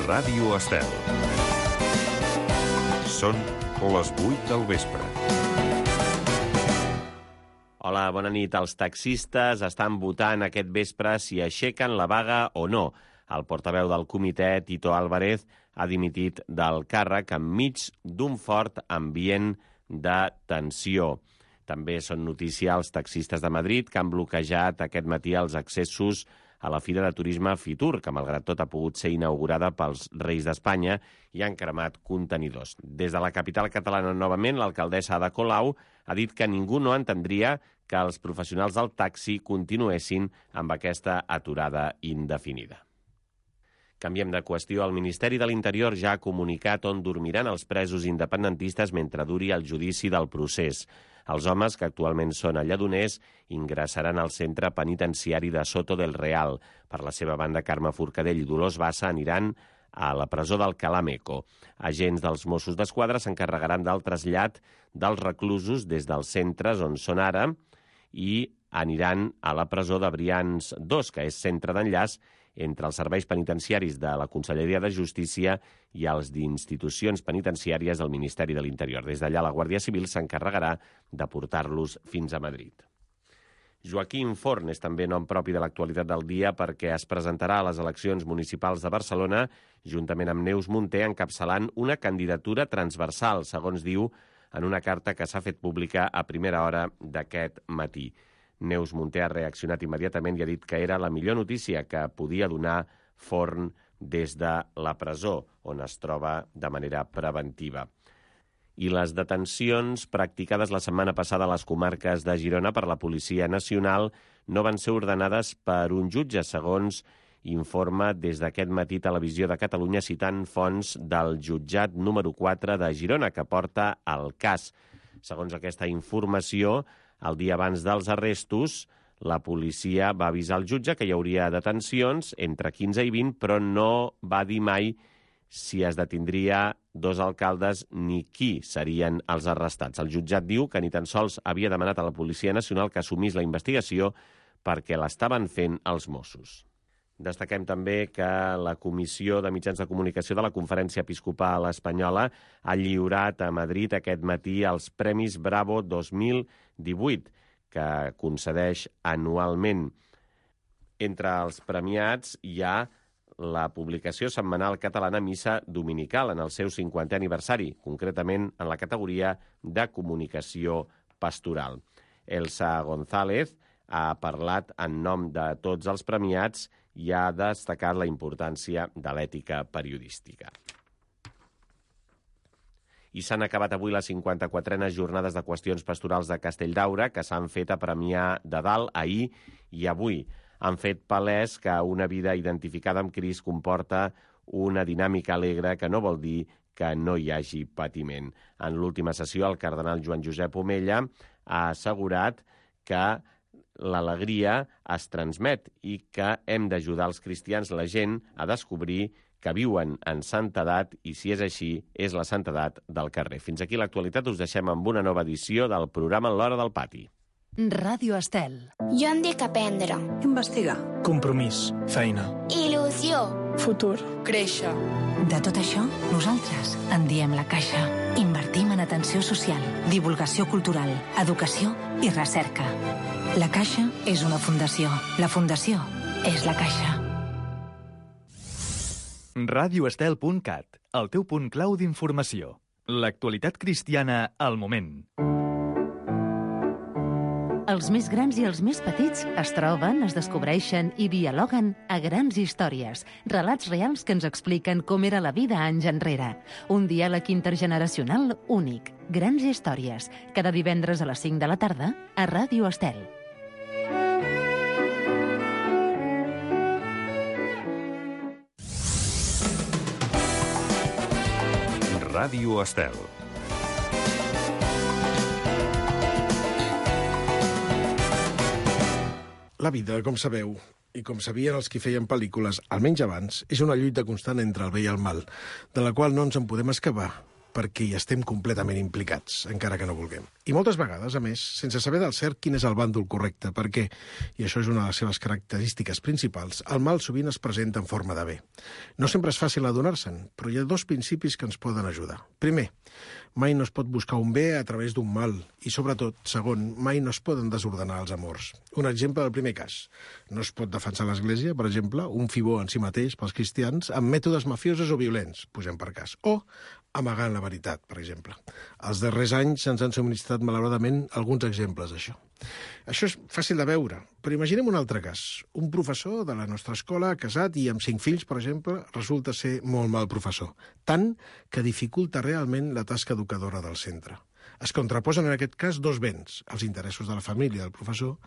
Ràdio Estel. Són les 8 del vespre. Hola, bona nit. Els taxistes estan votant aquest vespre si aixequen la vaga o no. El portaveu del comitè, Tito Álvarez, ha dimitit del càrrec enmig d'un fort ambient de tensió. També són notícia els taxistes de Madrid, que han bloquejat aquest matí els accessos a la Fira de Turisme Fitur, que malgrat tot ha pogut ser inaugurada pels Reis d'Espanya, i han cremat contenidors. Des de la capital catalana, novament, l'alcaldessa Ada Colau ha dit que ningú no entendria que els professionals del taxi continuessin amb aquesta aturada indefinida. Canviem de qüestió. El Ministeri de l'Interior ja ha comunicat on dormiran els presos independentistes mentre duri el judici del procés. Els homes, que actualment són a Lledoners, ingressaran al centre penitenciari de Soto del Real. Per la seva banda, Carme Forcadell i Dolors Bassa aniran a la presó d'Alcalá Meco. Agents dels Mossos d'Esquadra s'encarregaran del trasllat dels reclusos des dels centres on són ara i aniran a la presó de Brians 2, que és centre d'enllaç entre els serveis penitenciaris de la Conselleria de Justícia i els d'institucions penitenciàries del Ministeri de l'Interior. Des d'allà, la Guàrdia Civil s'encarregarà de portar-los fins a Madrid. Joaquim Forn és també nom propi de l'actualitat del dia perquè es presentarà a les eleccions municipals de Barcelona juntament amb Neus Munté encapçalant una candidatura transversal, segons diu en una carta que s'ha fet pública a primera hora d'aquest matí. Neus Munté ha reaccionat immediatament i ha dit que era la millor notícia que podia donar Forn des de la presó, on es troba de manera preventiva. I les detencions practicades la setmana passada a les comarques de Girona per la Policia Nacional no van ser ordenades per un jutge, segons informa des d'aquest matí Televisió de Catalunya citant fonts del jutjat número 4 de Girona, que porta el cas. Segons aquesta informació, el dia abans dels arrestos, la policia va avisar el jutge que hi hauria detencions entre 15 i 20, però no va dir mai si es detindria dos alcaldes ni qui serien els arrestats. El jutjat diu que ni tan sols havia demanat a la Policia Nacional que assumís la investigació perquè l'estaven fent els Mossos. Destaquem també que la Comissió de Mitjans de Comunicació de la Conferència Episcopal Espanyola ha lliurat a Madrid aquest matí els Premis Bravo 2018, que concedeix anualment. Entre els premiats hi ha la publicació setmanal catalana Missa Dominical en el seu 50è aniversari, concretament en la categoria de comunicació pastoral. Elsa González ha parlat en nom de tots els premiats i ha destacat la importància de l'ètica periodística. I s'han acabat avui les 54enes jornades de qüestions pastorals de Castelldaura, que s'han fet a Premià de Dalt ahir i avui. Han fet palès que una vida identificada amb Crist comporta una dinàmica alegre que no vol dir que no hi hagi patiment. En l'última sessió, el cardenal Joan Josep Omella ha assegurat que l'alegria es transmet i que hem d'ajudar els cristians, la gent, a descobrir que viuen en santedat i, si és així, és la santedat del carrer. Fins aquí l'actualitat. Us deixem amb una nova edició del programa L'Hora del Pati. Ràdio Estel. Jo em dic aprendre. Investigar. Compromís. Feina. Il·lusió. Futur. Créixer. De tot això, nosaltres en diem La Caixa. Invertim en atenció social, divulgació cultural, educació i recerca. La Caixa és una fundació. La fundació és La Caixa. radioestel.cat, el teu punt clau d'informació. L'actualitat cristiana al moment. Els més grans i els més petits es troben, es descobreixen i dialoguen a Grans Històries, relats reals que ens expliquen com era la vida anys enrere. Un diàleg intergeneracional únic. Grans Històries, cada divendres a les 5 de la tarda a Ràdio Estel. Ràdio Estel. La vida, com sabeu, i com sabien els que feien pel·lícules, almenys abans, és una lluita constant entre el bé i el mal, de la qual no ens en podem escapar, perquè hi estem completament implicats, encara que no vulguem. I moltes vegades, a més, sense saber del cert quin és el bàndol correcte, perquè, i això és una de les seves característiques principals, el mal sovint es presenta en forma de bé. No sempre és fàcil adonar-se'n, però hi ha dos principis que ens poden ajudar. Primer, mai no es pot buscar un bé a través d'un mal, i sobretot, segon, mai no es poden desordenar els amors. Un exemple del primer cas. No es pot defensar l'Església, per exemple, un fibó en si mateix pels cristians, amb mètodes mafiosos o violents, posem per cas, o amagant la veritat, per exemple. Els darrers anys ens han subministrat, malauradament, alguns exemples d'això. Això és fàcil de veure, però imaginem un altre cas. Un professor de la nostra escola, casat i amb 5 fills, per exemple, resulta ser molt mal professor, tant que dificulta realment la tasca educadora del centre. Es contraposen en aquest cas dos béns, els interessos de la família del professor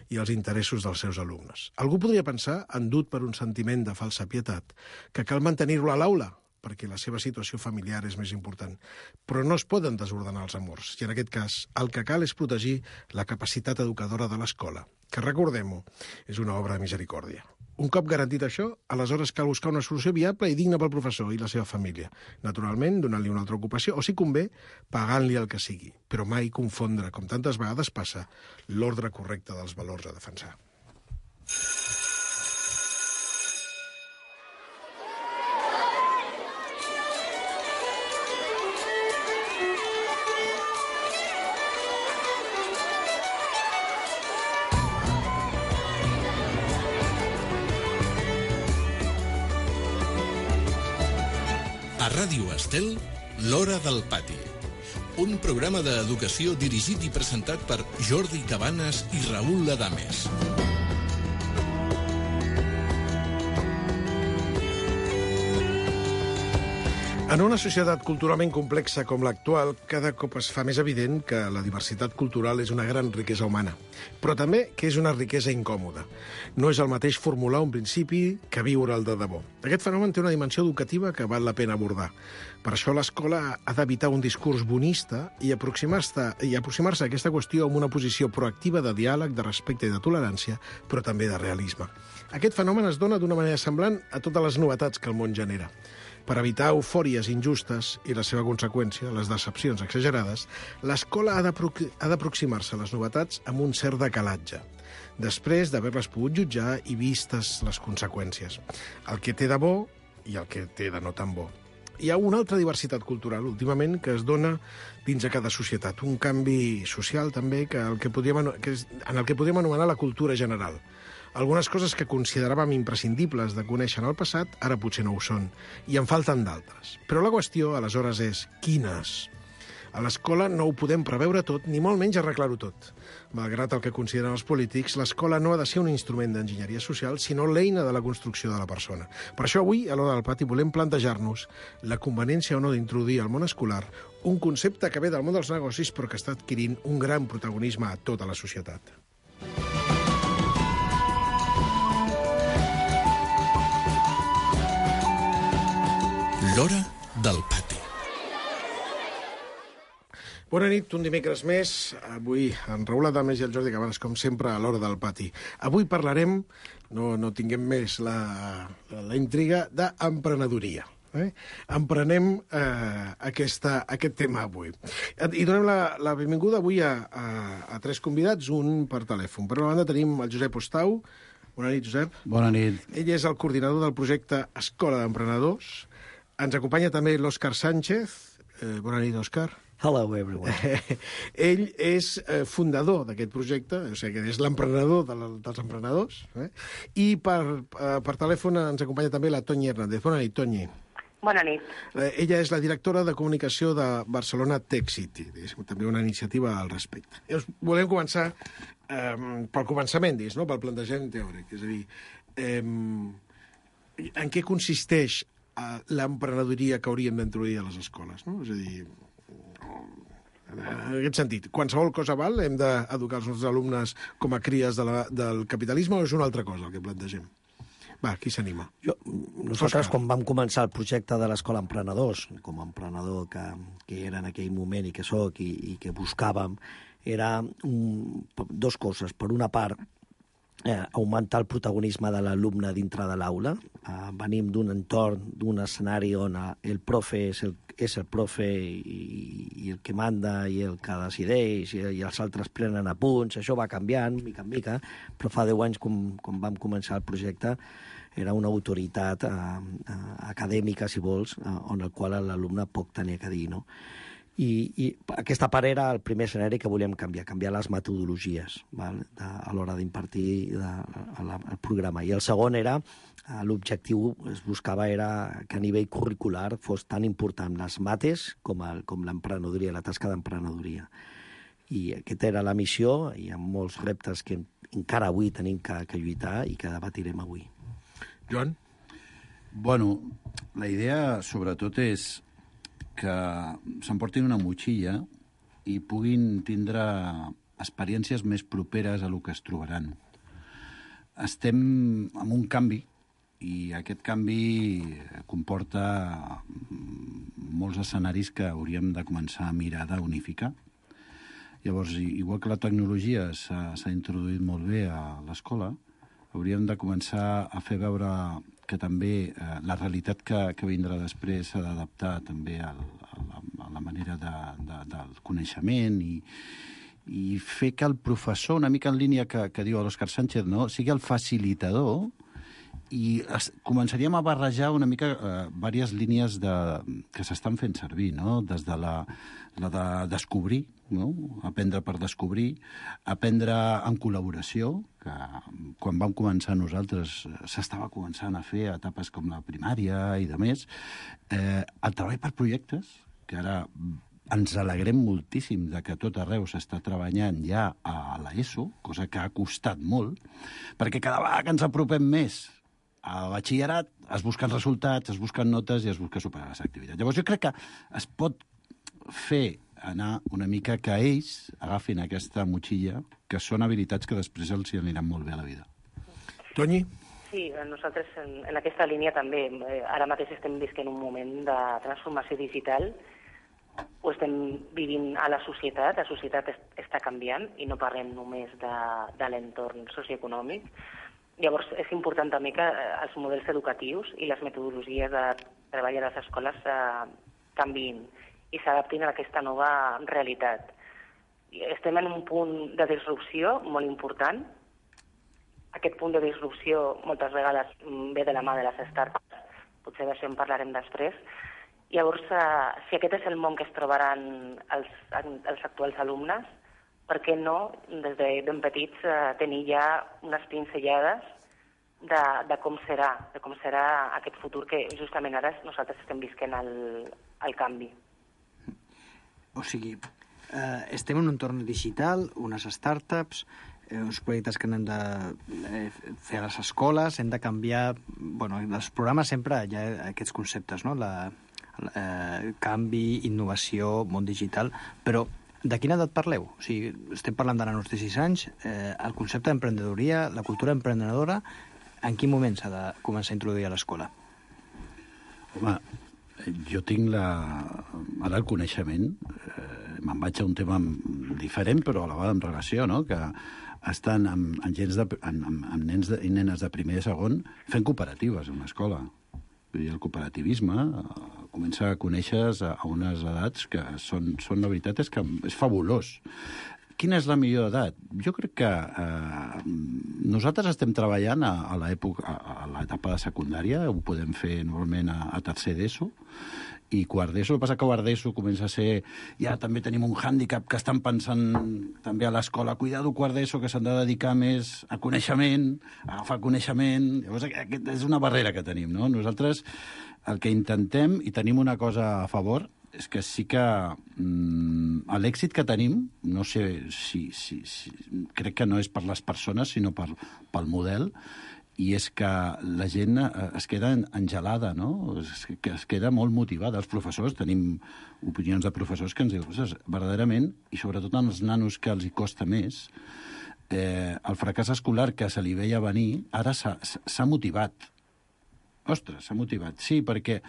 i els interessos dels seus alumnes. Algú podria pensar, endut per un sentiment de falsa pietat, que cal mantenir-lo a l'aula, perquè la seva situació familiar és més important. Però no es poden desordenar els amors, i en aquest cas el que cal és protegir la capacitat educadora de l'escola, que, recordem-ho, és una obra de misericòrdia. Un cop garantit això, aleshores cal buscar una solució viable i digna pel professor i la seva família. Naturalment, donant-li una altra ocupació, o si convé, pagant-li el que sigui. Però mai confondre, com tantes vegades passa, l'ordre correcte dels valors a defensar. A Ràdio Estel, l'Hora del Pati. Un programa d'educació dirigit i presentat per Jordi Cabanes i Raül Adames. En una societat culturalment complexa com l'actual, cada cop es fa més evident que la diversitat cultural és una gran riquesa humana, però també que és una riquesa incòmoda. No és el mateix formular un principi que viure'l de debò. Aquest fenomen té una dimensió educativa que val la pena abordar. Per això l'escola ha d'evitar un discurs bonista i aproximar-se a aquesta qüestió amb una posició proactiva de diàleg, de respecte i de tolerància, però també de realisme. Aquest fenomen es dona d'una manera semblant a totes les novetats que el món genera. Per evitar eufòries injustes i la seva conseqüència, les decepcions exagerades, l'escola ha d'aproximar-se a les novetats amb un cert decalatge, després d'haver-les pogut jutjar i vistes les conseqüències. El que té de bo i el que té de no tan bo. Hi ha una altra diversitat cultural, últimament, que es dona dins de cada societat. Un canvi social, també, en el que podríem anomenar la cultura general. Algunes coses que consideràvem imprescindibles de conèixer en el passat, ara potser no ho són, i en falten d'altres. Però la qüestió, aleshores, és quines? A l'escola no ho podem preveure tot, ni molt menys arreglar-ho tot. Malgrat el que consideren els polítics, l'escola no ha de ser un instrument d'enginyeria social, sinó l'eina de la construcció de la persona. Per això avui, a l'Hora del Pati, volem plantejar-nos la conveniència o no d'introduir al món escolar un concepte que ve del món dels negocis però que està adquirint un gran protagonisme a tota la societat. L'Hora del Pati. Bona nit, un dimecres més. Avui en Raül Adames i el Jordi Cabanes, com sempre, a l'Hora del Pati. Avui parlarem, no tinguem més la intriga, d'emprenedoria. Emprenem aquest tema avui. I donem la benvinguda avui a tres convidats, un per telèfon. Per una banda tenim el Josep Ostau. Bona nit, Josep. Bona nit. Ell és el coordinador del projecte Escola d'Emprenedors. Ens acompanya també l'Òscar Sánchez. Bona nit, Òscar. Hello, everyone. Ell és fundador d'aquest projecte, o sigui que és l'emprenedor dels emprenedors. I per telèfon ens acompanya també la Toñi Hernández. Bona nit, Toñi. Bona nit. Ella és la directora de comunicació de Barcelona Tech City. És també una iniciativa al respecte. Volem començar pel començament, no? Pel plantejament teòric. És a dir, en què consisteix l'emprenedoria que hauríem d'introduir a les escoles, no? És a dir, en aquest sentit, qualsevol cosa val? Hem d'educar els nostres alumnes com a cries del capitalisme o és una altra cosa el que plantegem? Va, qui s'anima? Nosaltres, quan vam començar el projecte de l'Escola Emprenedors, com a emprenedor que era en aquell moment i que soc i que buscàvem, era dos coses. Per una part, augmentar el protagonisme de l'alumne dintre de l'aula. Venim d'un entorn, d'un escenari on el profe és el profe i el que manda i el que decideix i els altres prenen apunts. Això va canviant, mica en mica, però fa 10 anys, quan vam començar el projecte, era una autoritat acadèmica, si vols, on el qual l'alumne poc tenia que dir, no? I aquesta part era el primer escenari que volíem canviar les metodologies, val? A l'hora d'impartir el programa. I el segon era, l'objectiu es buscava era que a nivell curricular fos tan important les mates com l'emprenedoria, la tasca d'emprenedoria. I aquesta era la missió, i hi ha molts reptes que encara avui tenim que lluitar i que debatirem avui. Joan? Bueno, la idea sobretot és que s'emportin una motxilla i puguin tindre experiències més properes a lo que es trobaran. Estem en un canvi i aquest canvi comporta molts escenaris que hauríem de començar a mirar d'unificar. Llavors, igual que la tecnologia s'ha introduït molt bé a l'escola, hauríem de començar a fer veure que també la realitat que vindrà després s'ha d'adaptar també a la manera del coneixement i fer que el professor, una mica en línia que diu l'Òscar Sánchez, no? Sigui el facilitador i començaríem a barrejar una mica diverses línies que s'estan fent servir, no? Des de la de descobrir, no? Aprendre per descobrir, aprendre en col·laboració, que quan vam començar nosaltres s'estava començant a fer a etapes com la primària i de més, el treball per projectes, que ara ens alegrem moltíssim de que tot arreu s'està treballant ja a l'ESO, cosa que ha costat molt, perquè cada vegada que ens apropem més al batxillerat es busquen resultats, es busquen notes i es busca superar les activitats. Llavors jo crec que es pot fer anar una mica que ells agafin aquesta motxilla, que són habilitats que després els aniran molt bé a la vida. Toni? Sí, nosaltres en aquesta línia també. Ara mateix estem visquent un moment de transformació digital. Ho estem vivint a la societat està canviant i no parlem només de l'entorn socioeconòmic. Llavors és important també que els models educatius i les metodologies de treball a les escoles canviïn i s'adaptin a aquesta nova realitat. Estem en un punt de disrupció molt important. Aquest punt de disrupció moltes vegades ve de la mà de les startups, potser d'això en parlarem després. Llavors, si aquest és el món que es trobaran els actuals alumnes, per què no, des de ben petits, tenir ja unes pinzellades de com serà aquest futur que justament ara nosaltres estem visquent el canvi. O sigui, estem en un entorn digital, unes startups, uns projectes que hem de fer a les escoles, hem de canviar... Bueno, en els programes sempre hi ha aquests conceptes, no? Canvi, innovació, món digital, però de quina edat parleu? O sigui, estem parlant de nanos de 6 anys, el concepte d'emprenedoria, la cultura emprenedora, en quin moment s'ha de començar a introduir a l'escola? Home, jo tinc ara el coneixement, me'n vaig a un tema diferent, però a la vegada en relació, no? Que estan amb nens i nenes de primer i segon fent cooperatives a una escola. I el cooperativisme comença a conèixer a unes edats que són la veritat és que és fabulós. Quina és la millor edat? Jo crec que nosaltres estem treballant a l'etapa de secundària, ho podem fer normalment a tercer d'ESO, i quart d'ESO. El que passa que quart d'ESO comença a ser... Ja també tenim un hàndicap que estan pensant també a l'escola. Cuidado, quart d'ESO, que s'han de dedicar més a coneixement, a agafar coneixement. Llavors, aquesta és una barrera que tenim, no? Nosaltres el que intentem, i tenim una cosa a favor, és que sí que l'èxit que tenim, no sé si crec que no és per les persones, sinó pel model, i és que la gent es queda engelada, no? Es queda molt motivada. Els professors, tenim opinions de professors que ens diuen, verdaderament, i sobretot als nanos que els hi costa més, el fracàs escolar que se li veia venir, ara s'ha motivat. Ostres, s'ha motivat. Sí, perquè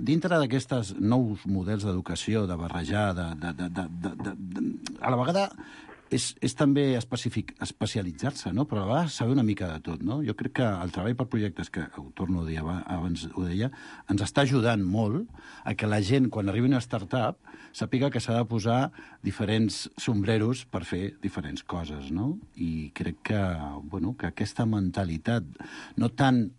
dintre d'aquests nous models d'educació, de barrejar, a la vegada és també especialitzar-se, no? Però a vegades saber una mica de tot, no? Jo crec que el treball per projectes, que ho torno a dir, abans ho deia, ens està ajudant molt a que la gent, quan arribi una startup, sàpiga que s'ha de posar diferents sombreros per fer diferents coses, no? I crec que, bueno, que aquesta mentalitat no tan,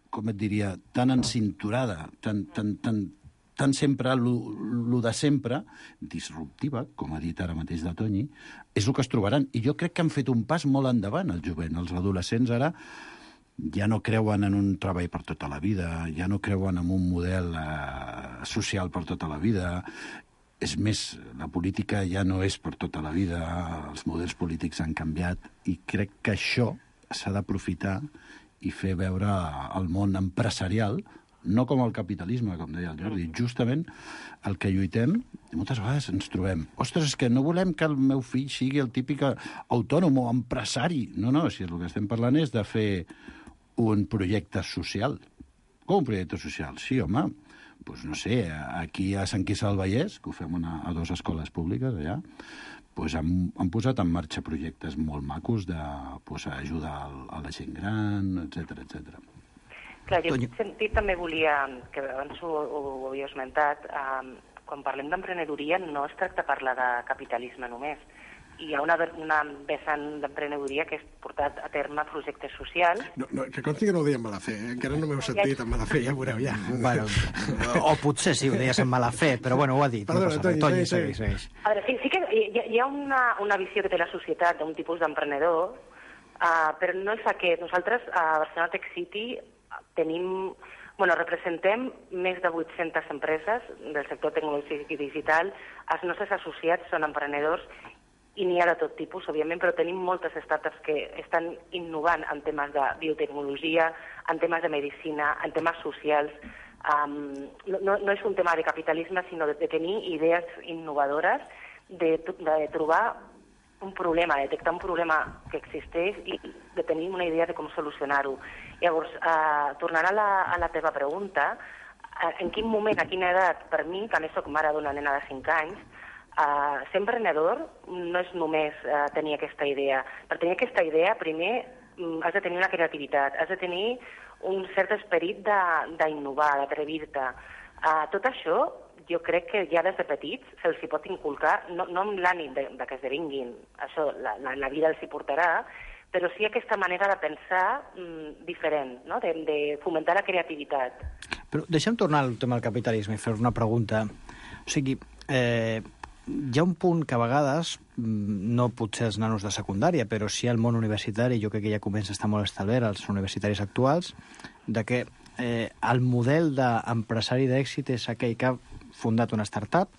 com et diria, tan encinturada, tan sempre, lo de sempre, disruptiva, com ha dit ara mateix de Toni, és el que es trobaran. I jo crec que han fet un pas molt endavant, el jovent. Els adolescents ara ja no creuen en un treball per tota la vida, ja no creuen en un model social per tota la vida. És més, la política ja no és per tota la vida, els models polítics han canviat, i crec que això s'ha d'aprofitar i fer veure el món empresarial, no com el capitalisme, com deia el Jordi, justament el que lluitem, i moltes vegades ens trobem, ostres, és que no volem que el meu fill sigui el típic autònom o empresari. No, si el que estem parlant és de fer un projecte social. Com un projecte social? Sí, home, doncs no sé, aquí a Sant Quirze del Vallès, que ho fem a 2 escoles públiques allà, doncs han posat en marxa projectes molt macos d'ajudar a la gent gran, etc. Clar, jo en aquest sentit també volia, que abans ho havia esmentat, quan parlem d'emprenedoria no es tracta de parlar de capitalisme només. Hi ha una vessant d'emprenedoria que és portar a terme projectes socials. No, que consti que no ho deia amb mala fe, encara no m'heu sentit amb mala fe, ja ho veureu, ja. Bueno, o potser sí, ho deies amb mala fe, però bueno, ho ha dit. Perdona, Toni, segueix. A veure, sí que hi ha una visió que té la societat d'un tipus d'emprenedor, però no és aquest. Nosaltres a Barcelona Tech City representem més de 800 empreses del sector tecnològic i digital. Els nostres associats són emprenedors i n'hi ha de tot tipus, òbviament, però tenim moltes startups que estan innovant en temes de biotecnologia, en temes de medicina, en temes socials. No és un tema de capitalisme, sinó de tenir idees innovadores, de trobar un problema, detectar un problema que existeix i de tenir una idea de com solucionar-ho. Llavors, tornant a la teva pregunta, en quin moment, a quina edat, per mi, que a més soc mare d'una nena de 5 anys, ser emprenedor no és només tenir aquesta idea. Per tenir aquesta idea, primer, has de tenir una creativitat, has de tenir un cert esperit d'innovar, d'atrevir-te. Tot això, jo crec que ja des de petits se'ls hi pot inculcar, no amb l'ànim de que esdevinguin, això la vida els hi portarà, però sí aquesta manera de pensar diferent, no? De fomentar la creativitat. Però deixa'm tornar al tema del capitalisme i fer una pregunta. O sigui, hi ha un punt que a vegades, no potser els nanos de secundària, però sí al món universitari, jo crec que ja comença a estar molt establert als universitaris actuals, de que el model d'empresari d'èxit és aquell que ha fundat una startup,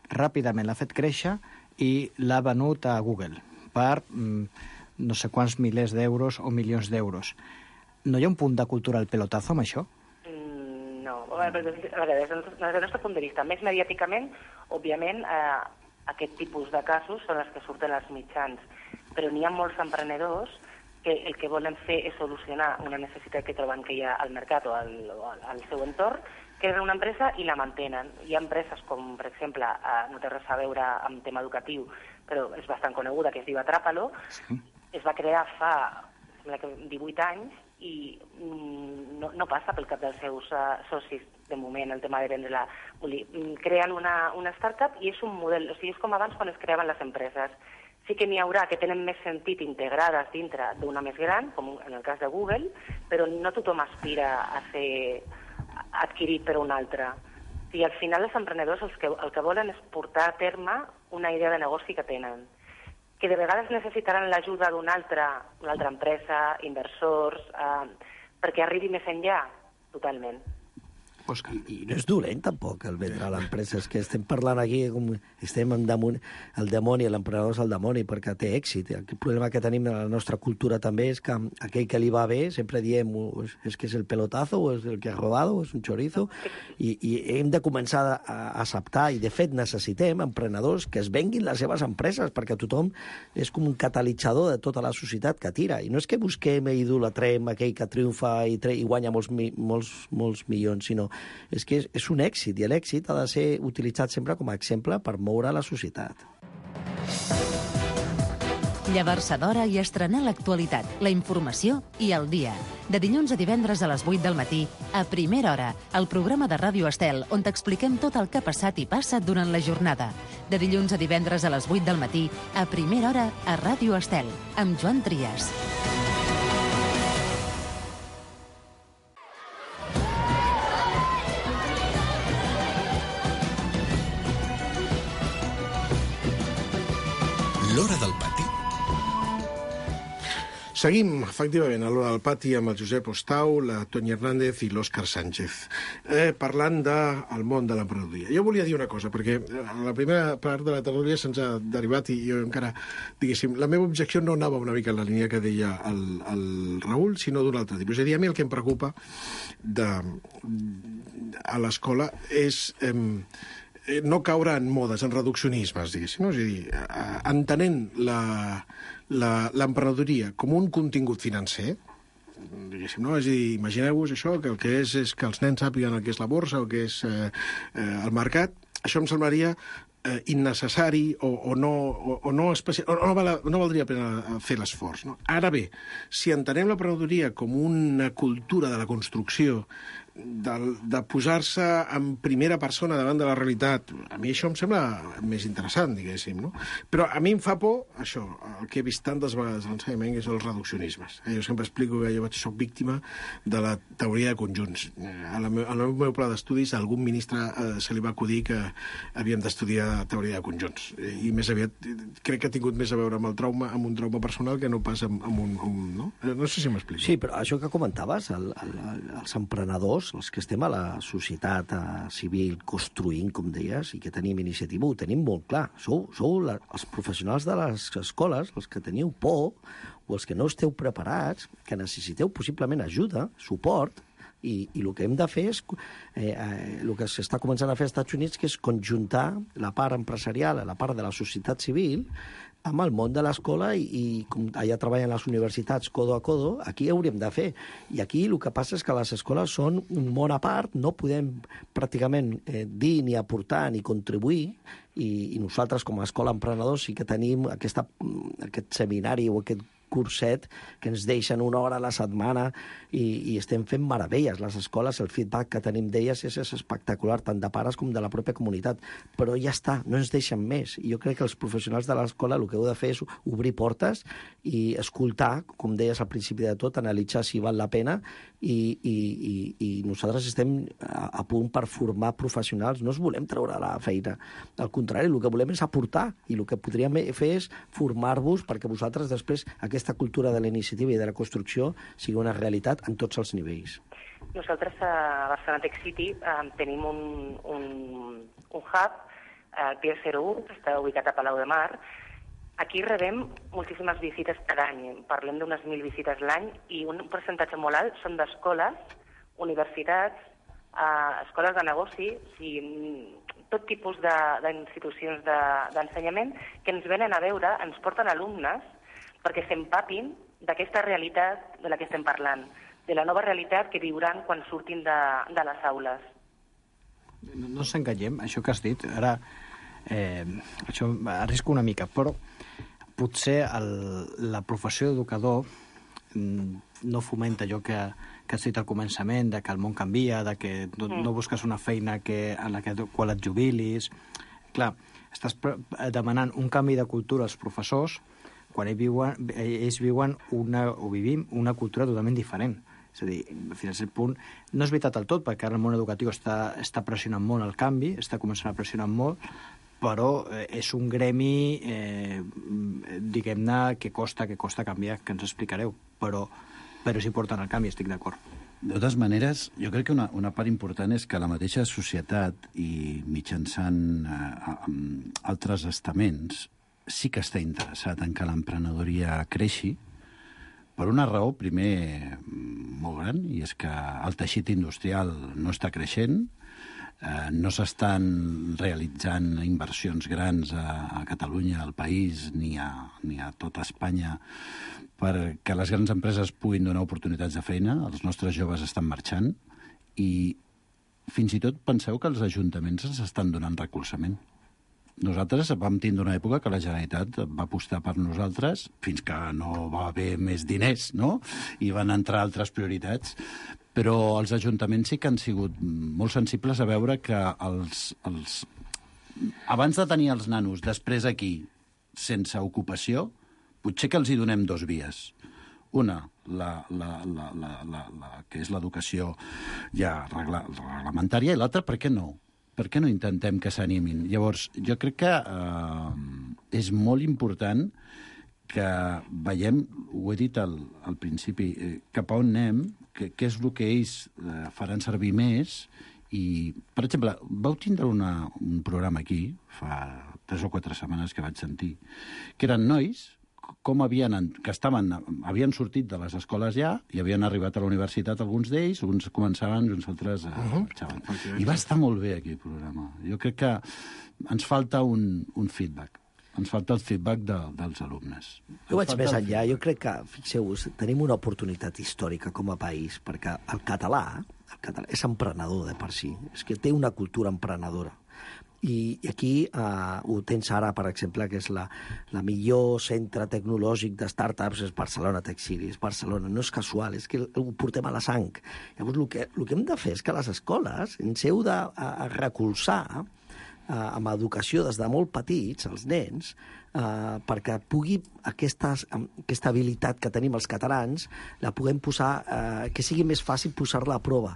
ràpidament l'ha fet créixer i l'ha venut a Google per no sé quants milers d'euros o milions d'euros. No hi ha un punt de cultura al pelotazo amb això? No. A veure, des del nostre punt de vista, més mediàticament, òbviament, aquest tipus de casos són els que surten als mitjans, però n'hi ha molts emprenedors que el que volen fer és solucionar una necessitat que troben que hi ha al mercat o al seu entorn, que és una empresa i la mantenen. Hi ha empreses com, per exemple, no té res a veure amb tema educatiu, però és bastant coneguda, que es diu Atrápalo. Sí. Es va crear fa 18 anys i no passa pel cap dels seus socis, de moment, el tema de vendre-la. Creen una startup i és un model, o sigui, és com abans quan es creaven les empreses. Sí que n'hi haurà que tenen més sentit integrades dintre d'una més gran, com en el cas de Google, però no tothom aspira a ser adquirit per un altre. I al final els emprenedors el que volen és portar a terme una idea de negoci que tenen, que de vegades necessitaran l'ajuda d'una altra empresa, inversors, perquè arribi més enllà, totalment. I no és dolent, tampoc, el vendre a l'empresa. És que estem parlant aquí, com estem damunt el demoni, l'emprenedor és el demoni, perquè té èxit. El problema que tenim en la nostra cultura també és que aquell que li va bé, sempre diem, és que és el pelotazo, o és el que ha rodado, o és un chorizo, i hem de començar a acceptar, i de fet necessitem emprenedors que es venguin les seves empreses, perquè tothom és com un catalitzador de tota la societat que tira. I no és que busquem i idolatrem aquell que triomfa i guanya molts milions, sinó és que és un èxit, i l'èxit ha de ser utilitzat sempre com a exemple per moure la societat. Llevar-se d'hora i estrenar l'actualitat, la informació i el dia. De dilluns a divendres a les 8 del matí, a Primera Hora, el programa de Ràdio Estel, on t'expliquem tot el que ha passat i passa durant la jornada. De dilluns a divendres a les 8 del matí, a Primera Hora, a Ràdio Estel, amb Joan Trias. L'Hora del Pati. Seguim, efectivament, a l'Hora del Pati amb el Josep Ostau, la Toni Hernández i l'Òscar Sánchez, parlant del món de l'emprenedoria. Jo volia dir una cosa, perquè a la primera part de la tertúlia se'ns ha derivat i jo encara, diguéssim, la meva objecció no anava una mica en la línia que deia el Raül, sinó d'un altre tipus. És a dir, a mi el que em preocupa a l'escola és no caure en modes, en reduccionismes, diguéssim, no? És a dir, entenent l'emprenedoria com un contingut financer, diguéssim, no? És a dir, imagineu-vos això, que el que és que els nens sàpiguen el que és la borsa o què és el mercat, això em semblaria innecessari o no valdria la pena fer l'esforç. No? Ara bé, si entenem l'emprenedoria com una cultura de la construcció, de posar-se en primera persona davant de la realitat, a mi això em sembla més interessant, diguéssim, no? Però a mi em fa por, això, el que he vist tantes vegades a l'ensenyament, que és els reduccionismes. Jo sempre explico que jo soc víctima de la teoria de conjunts. Al meu pla d'estudis, a algun ministre se li va acudir que havíem d'estudiar teoria de conjunts. I més aviat, crec que ha tingut més a veure amb el trauma, amb un trauma personal, que no pas amb un... No? No sé si m'explico. Sí, però això que comentaves, els emprenedors, els que estem a la societat civil construint, com deies, i que tenim iniciativa, ho tenim molt clar. Sou els professionals de les escoles, els que teniu por, o els que no esteu preparats, que necessiteu possiblement ajuda, suport, i el que hem de fer és el que s'està començant a fer als Estats Units, que és conjuntar la part empresarial, la part de la societat civil, amb el món de l'escola i com allà treballen les universitats codo a codo, aquí hauríem de fer. I aquí el que passa és que les escoles són un món a part, no podem pràcticament dir ni aportar ni contribuir, i nosaltres com a escola emprenedors sí que tenim aquest seminari o aquest curset que ens deixen una hora a la setmana i estem fent meravelles. Les escoles, el feedback que tenim d'elles és espectacular, tant de pares com de la pròpia comunitat. Però ja està, no ens deixen més. I jo crec que els professionals de l'escola el que heu de fer és obrir portes i escoltar, com deies al principi de tot, analitzar si val la pena i nosaltres estem a punt per formar professionals. No es volem treure la feina. Al contrari, el que volem és aportar i el que podríem fer és formar-vos perquè vosaltres després aquesta cultura de la iniciativa i de la construcció sigui una realitat en tots els nivells. Nosaltres a Barcelona Tech City tenim un hub, el Pier 01, que està ubicat a Palau de Mar. Aquí rebem moltíssimes visites cada any, parlem d'unes 1.000 visites l'any, i un percentatge molt alt són d'escoles, universitats, escoles de negoci, tot tipus d'institucions d'ensenyament que ens venen a veure, ens porten alumnes perquè s'empapin d'aquesta realitat de la que estem parlant, de la nova realitat que viuran quan surtin de les aules. No ens enganyem, això que has dit, ara això arrisco una mica, però potser la professió d'educador no fomenta allò que has dit al començament, de que el món canvia, de que no busques una feina en la qual et jubilis. Clar, estàs demanant un canvi de cultura als professors quan ells viuen o vivim una cultura totalment diferent. És a dir, fins a cert punt, no és veritat del tot, perquè ara el món educatiu està pressionant molt el canvi, està començant a pressionar molt, però és un gremi, diguem-ne, que costa canviar, que ens explicareu, però sí porten el canvi, estic d'acord. De totes maneres, jo crec que una part important és que la mateixa societat i mitjançant altres estaments sí que està interessat en que l'emprenedoria creixi per una raó, primer, molt gran, i és que el teixit industrial no està creixent, no s'estan realitzant inversions grans a Catalunya, al país, ni a tota Espanya, perquè les grans empreses puguin donar oportunitats de feina, els nostres joves estan marxant, i fins i tot penseu que els ajuntaments ens estan donant recolzament. nosaltres vam tindre una època que la Generalitat va apostar per nosaltres fins que no va haver més diners, no? I van entrar altres prioritats. Però els ajuntaments sí que han sigut molt sensibles a veure que abans de tenir els nanos després aquí sense ocupació, potser que els hi donem dos vies. Una, que és l'educació ja reglamentària, i l'altra, per què no? Per què no intentem que s'animin? Llavors, jo crec que és molt important que veiem, ho he dit al principi, cap a on anem, què és el que ells faran servir més. I, per exemple, vau tindre un programa aquí, fa 3 o 4 setmanes que vaig sentir, que eren nois com havien sortit de les escoles ja i havien arribat a la universitat alguns d'ells, uns començaven i uns altres marxaven. I va estar molt bé aquí el programa. Jo crec que ens falta un feedback. Ens falta el feedback dels alumnes. Jo vaig més enllà. Jo crec que, fixeu-vos, tenim una oportunitat històrica com a país, perquè el català és emprenedor de per si. És que té una cultura emprenedora. I aquí ho tens ara, per exemple, que és la millor centre tecnològic de startups és Barcelona Tech City, és Barcelona, no és casual, és que ho portem a la sang. Llavors, el que hem de fer és que les escoles ens heu de recolzar amb educació des de molt petits, els nens, perquè pugui aquesta habilitat que tenim els catalans la puguem posar, que sigui més fàcil posar-la a prova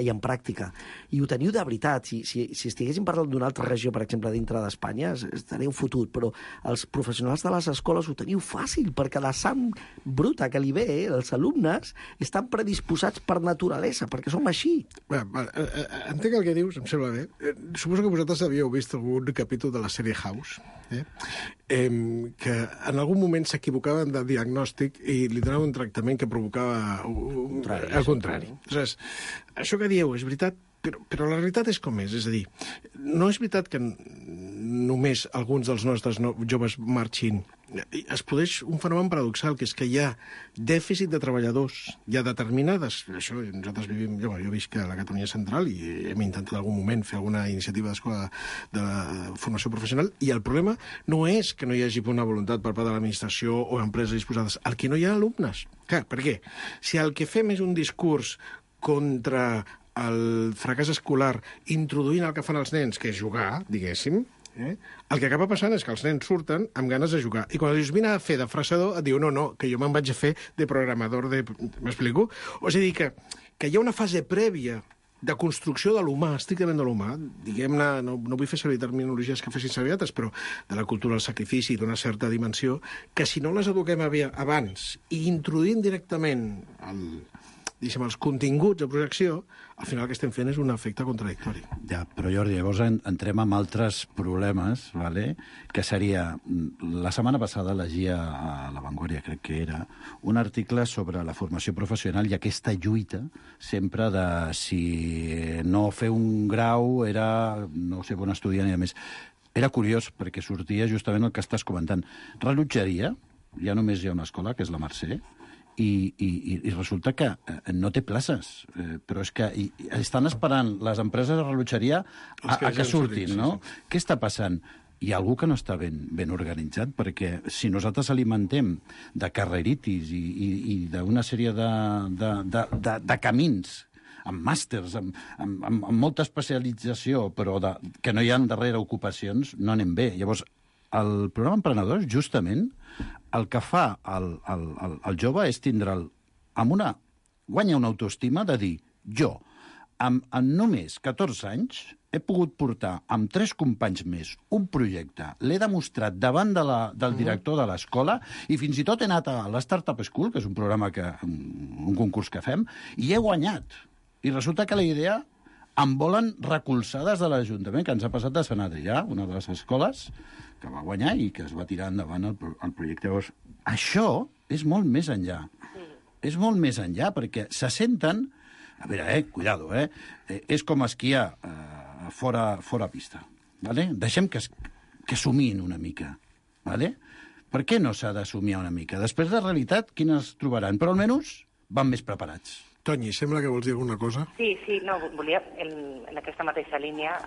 i en pràctica. I ho teniu de veritat. Si estiguéssim parlant d'una altra regió, per exemple, dintre d'Espanya, estaríeu fotut, però els professionals de les escoles ho teniu fàcil, perquè la sang bruta que li ve, els alumnes, estan predisposats per naturalesa, perquè som així. Entenc el que dius, em sembla bé. Suposo que vosaltres havíeu vist algun capítol de la sèrie House, que en algun moment s'equivocaven de diagnòstic i li donaven un tractament que provocava el contrari. Aleshores, això que dieu és veritat, però la realitat és com és. És a dir, no és veritat que només alguns dels nostres joves marxin. Es produeix un fenomen paradoxal, que és que hi ha dèficit de treballadors. Hi ha determinades... Això nosaltres vivim... Jo visc a la Catalunya Central i hem intentat en algun moment fer alguna iniciativa d'escola de formació professional, i el problema no és que no hi hagi una voluntat per part de l'administració o empreses disposades, el que no hi ha alumnes. Clar, per què? Si el que fem és un discurs contra el fracàs escolar, introduint el que fan els nens, que és jugar, diguéssim, el que acaba passant és que els nens surten amb ganes de jugar. I quan dius, vine a fer de fresador, et diu, no, que jo me'n vaig a fer de programador de... M'explico? O sigui que hi ha una fase prèvia de construcció de l'humà, estrictament de l'humà, diguem-ne, no vull fer servir terminologies que fessin servir altres, però de la cultura del sacrifici, d'una certa dimensió, que si no les eduquem abans i introduïm directament els continguts de projecció, al final el que estem fent és un efecte contradictori. Ja, però Jordi, llavors entrem en altres problemes, ¿vale? Que seria... La setmana passada llegia a La Vanguardia, crec que era, un article sobre la formació professional i aquesta lluita sempre de si no fer un grau era no ser bon estudiant i a més. Era curiós perquè sortia justament el que estàs comentant. Rellotgeria, ja només hi ha una escola, que és la Mercè, i resulta que no té places, però és que estan esperant les empreses de rellotgeria a que surtin, no? Què està passant? Hi ha algú que no està ben organitzat, perquè si nosaltres alimentem de carreritis i d'una sèrie de camins, amb màsters, amb molta especialització, però que no hi ha darrere ocupacions, no anem bé. Llavors, el programa Emprenedors, justament, el que fa el jove és guanya una autoestima de dir, jo, en només 14 anys, he pogut portar amb 3 companys més un projecte, l'he demostrat davant del director de l'escola i fins i tot he anat a l'Startup School, que és un programa un concurs que fem, i he guanyat. I resulta que la idea em volen recolzar des de l'Ajuntament, que ens ha passat a Sant Adrià, una de les escoles que va guanyar i que es va tirar endavant el projecte. Llavors, això és molt més enllà. És molt més enllà, perquè se senten... A veure, cuidado, és com esquiar fora pista, ¿vale? Deixem que somiïn una mica, ¿vale? Per què no s'ha de somiar una mica? Després de realitat, quines trobaran? Però almenys van més preparats. Toni, sembla que vols dir alguna cosa? Sí, no, volia, en aquesta mateixa línia,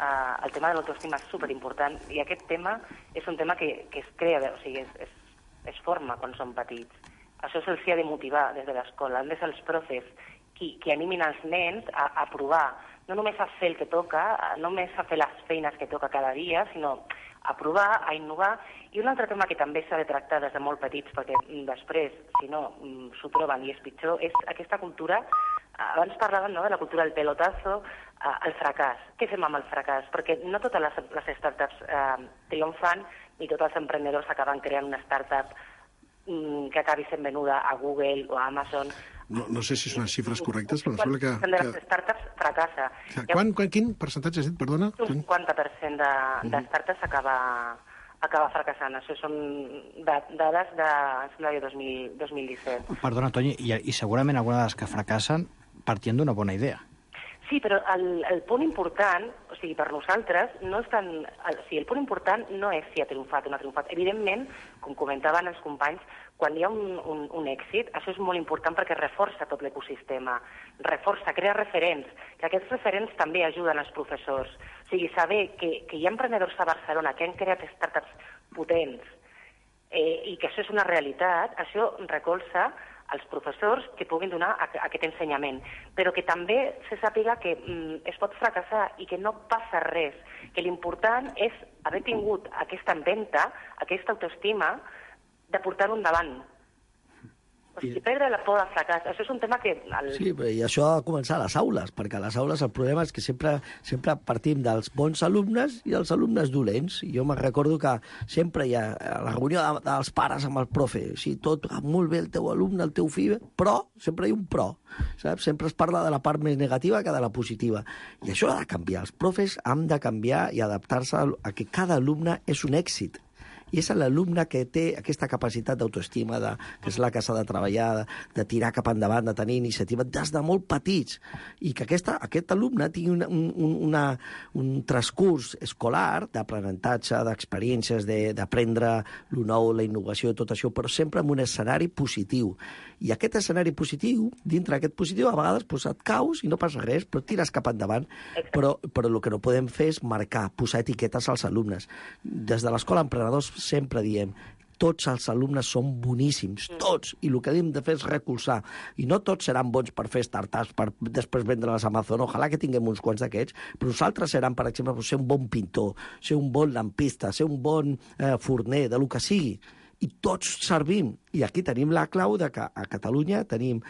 el tema de l'autoestima és superimportant, i aquest tema és un tema que es crea, o sigui, es forma quan som petits. Això se'ls ha de motivar des de l'escola. Han de ser els profes qui animin els nens a provar, no només a fer el que toca, no només a fer les feines que toca cada dia, sinó a provar, a innovar. I un altre tema que també s'ha de tractar des de molt petits, perquè després, si no, s'ho troben i és pitjor, és aquesta cultura, abans parlaven de la cultura del pelotazo, el fracàs. Què fem amb el fracàs? Perquè no totes les startups triomfan, ni tots els emprenedors acaben creant una startup que acabi sent venuda a Google o a Amazon. No sé si són les xifres correctes, però em sembla que... De les startups fracassa. Quin percentatge has dit, perdona? Un 50% de startups acaba fracassant. Això són dades de 2017. Perdona, Toni, i segurament alguna de les que fracassen partint d'una bona idea. Sí, però el punt important, o sigui, per nosaltres, no és tant... O sigui, el punt important no és si ha triomfat o no ha triomfat. Evidentment, com comentaven els companys, quan hi ha un èxit, això és molt important perquè reforça tot l'ecosistema, crea referents, que aquests referents també ajuden els professors. O sigui, saber que hi ha emprenedors a Barcelona que han creat startups potents i que això és una realitat, això recolza els professors que puguin donar aquest ensenyament, però que també se sàpiga que es pot fracassar i que no passa res, que l'important és haver tingut aquesta empenta, aquesta autoestima, de portar-ho endavant. O sigui, perdre la por del fracàs, això és un tema que... Sí, i això ha de començar a les aules, perquè a les aules el problema és que sempre partim dels bons alumnes i dels alumnes dolents. Jo me'n recordo que sempre hi ha la reunió dels pares amb el profe, sí, tot molt bé el teu alumne, el teu fill, però sempre hi ha un però, saps? Sempre es parla de la part més negativa que de la positiva. I això ha de canviar. Els profes han de canviar i adaptar-se a que cada alumne és un èxit. I és l'alumne que té aquesta capacitat d'autoestima, que és la que s'ha de treballar, de tirar cap endavant, de tenir iniciativa des de molt petits. I que aquest alumne tingui un transcurs escolar d'aprenentatge, d'experiències, d'aprendre el nou, la innovació, tot això, però sempre en un escenari positiu. I aquest escenari positiu, dintre d'aquest positiu, a vegades et caus i no passa res, però tires cap endavant. Però el que no podem fer és marcar, posar etiquetes als alumnes. Des de l'Escola Emprenedors sempre diem tots els alumnes són boníssims, tots, i el que hem de fer és recolzar. I no tots seran bons per fer startups, per després vendre-les a Amazon, ojalà que tinguem uns quants d'aquests, però nosaltres seran, per exemple, ser un bon pintor, ser un bon lampista, ser un bon forner, de lo que sigui. I tots servim. I aquí tenim la clau de que a Catalunya tenim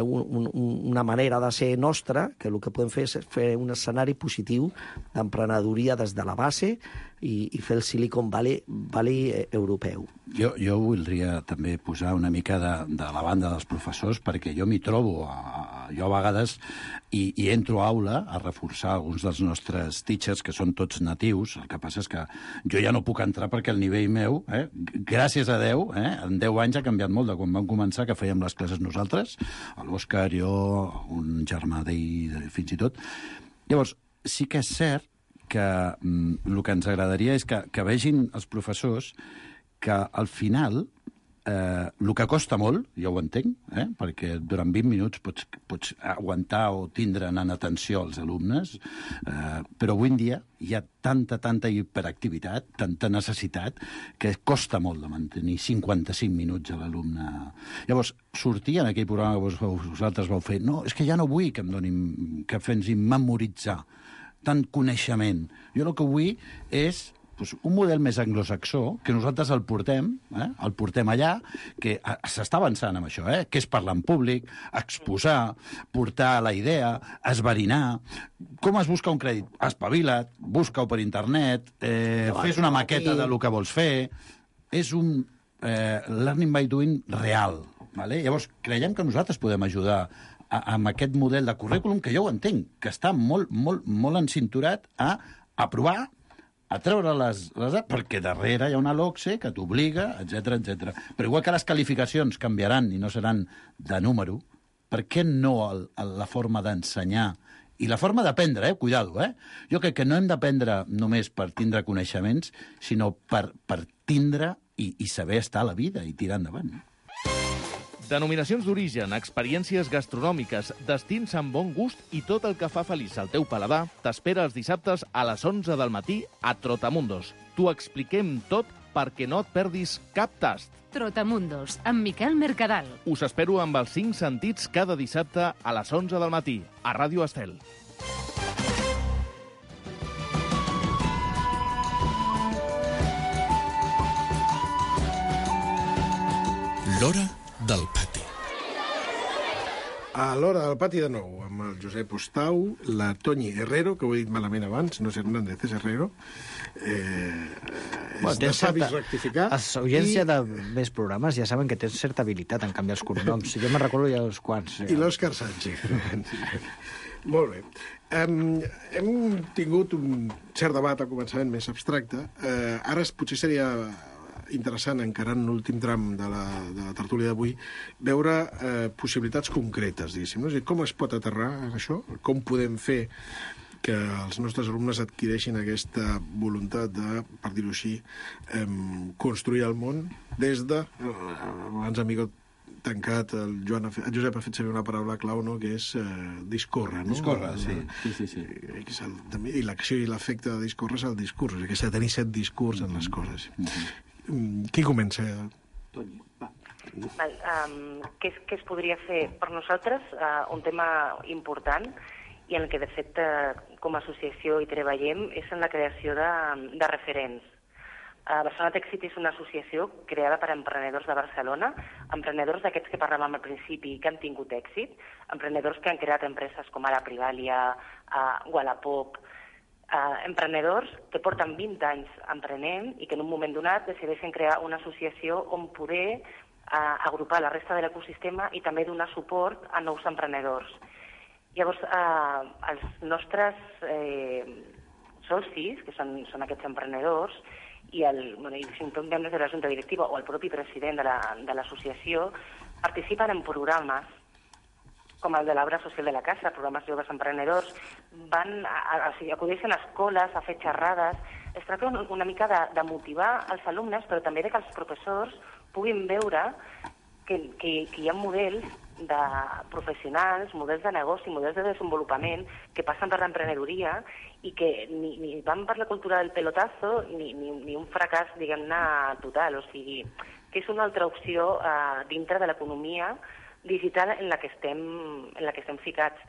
una manera de ser nostra, que el que podem fer és fer un escenari positiu d'emprenedoria des de la base i fer el Silicon Valley europeu. Jo voldria també posar una mica de la banda dels professors, perquè jo m'hi trobo, jo a vegades, i entro a aula a reforçar alguns dels nostres teachers, que són tots natius. El que passa és que jo ja no puc entrar perquè el nivell meu, gràcies a Déu, en 10 anys ha canviat molt de quan vam començar, que fèiem les classes nosaltres, l'Òscar, jo, un germà d'ell, fins i tot. Llavors, sí que és cert que el que ens agradaria és que vegin els professors que al final el que costa molt, ja ho entenc, perquè durant 20 minuts pots aguantar o tindre en atenció als alumnes, però avui en dia hi ha tanta hiperactivitat, tanta necessitat, que costa molt de mantenir 55 minuts a l'alumne. Llavors, sortir en aquell programa que vosaltres vau fer, no, és que ja no vull que ens memoritzar tant coneixement. Jo el que vull és un model més anglosaxó, que nosaltres el portem allà, que s'està avançant amb això, que és parlar en públic, exposar, portar la idea, esverinar. Com es busca un crèdit? Espavila't, busca-ho per internet, fes una maqueta del que vols fer. És un learning by doing real. Llavors, creiem que nosaltres podem ajudar amb aquest model de currículum, que jo ho entenc, que està molt encinturat a aprovar, a treure perquè darrere hi ha una LOCSE que t'obliga, etc. Però igual que les qualificacions canviaran i no seran de número, per què no la forma d'ensenyar i la forma d'aprendre, cuidado, Jo crec que no hem d'aprendre només per tindre coneixements, sinó per tindre i saber estar a la vida i tirar endavant. Denominacions d'origen, experiències gastronòmiques, destins amb bon gust i tot el que fa feliç al teu paladar t'espera els dissabtes a les 11 del matí a Trotamundos. T'ho expliquem tot perquè no et perdis cap tast. Trotamundos, amb Miquel Mercadal. Us espero amb els 5 sentits cada dissabte a les 11 del matí, a Ràdio Estel. L'Hora del Pati. A l'Hora del Pati de nou, amb el Josep Ostau, la Toñi Herrero, que ho he dit malament abans, no és Hernández, és Herrero. És de savis rectificar. L'audiència de més programes ja saben que tens certa habilitat en canviar els cognoms. Jo me'n recordo ja uns quants. I l'Òscar Sánchez. Molt bé. Hem tingut un cert debat al començament més abstracte. Ara potser seria interessant, encarant l'últim tram de la tertúlia d'avui, veure possibilitats concretes, diguéssim. No? Com es pot aterrar això? Com podem fer que els nostres alumnes adquireixin aquesta voluntat de, per dir-ho així, construir el món des de... Abans, amigo tancat, el Josep ha fet servir una paraula clau, no?, que és discórrer, no? Discórrer, sí. I l'acció i l'efecte de discórrer és el discurs, que s'ha de tenir set discurs en les coses. Qui comença? Toni, va. Què es podria fer? Per nosaltres, un tema important i en el que, de fet, com a associació hi treballem és en la creació de referents. Barcelona Tech City és una associació creada per emprenedors de Barcelona, emprenedors d'aquests que parlàvem al principi que han tingut èxit, emprenedors que han creat empreses com ara Privalia, Wallapop, emprenedors que porten 20 anys emprenent i que en un moment donat decideixen crear una associació on poder agrupar la resta de l'ecosistema i també donar suport a nous emprenedors. Llavors, els nostres socis, que són aquests emprenedors, i si en tot membres de la junta directiva o el propi president de l'associació, participen en programes com el de l'Obra Social de la Casa, programes joves emprenedors, acudeixen a escoles, a fer xerrades. Es tracta una mica de motivar els alumnes, però també que els professors puguin veure que hi ha models de professionals, models de negoci, models de desenvolupament que passen per l'emprenedoria i que ni van per la cultura del pelotazo ni un fracàs, diguem-ne, total. O sigui, que és una altra opció dintre de l'economia digital en la que estem ficats.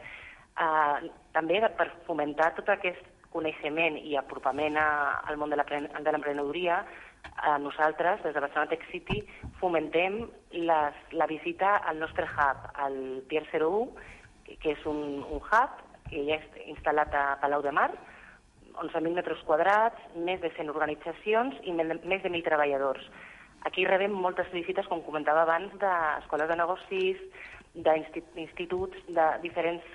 També per fomentar tot aquest coneixement i apropament al món de l'emprenedoria, nosaltres, des de Barcelona Tech City, fomentem la visita al nostre hub, al Pier 01, que és un hub que ja és instal·lat a Palau de Mar, 11.000 metres quadrats, més de 100 organitzacions i més de 1.000 treballadors. Aquí rebem moltes visites, com comentava abans, d'escoles de negocis, d'instituts, de diferents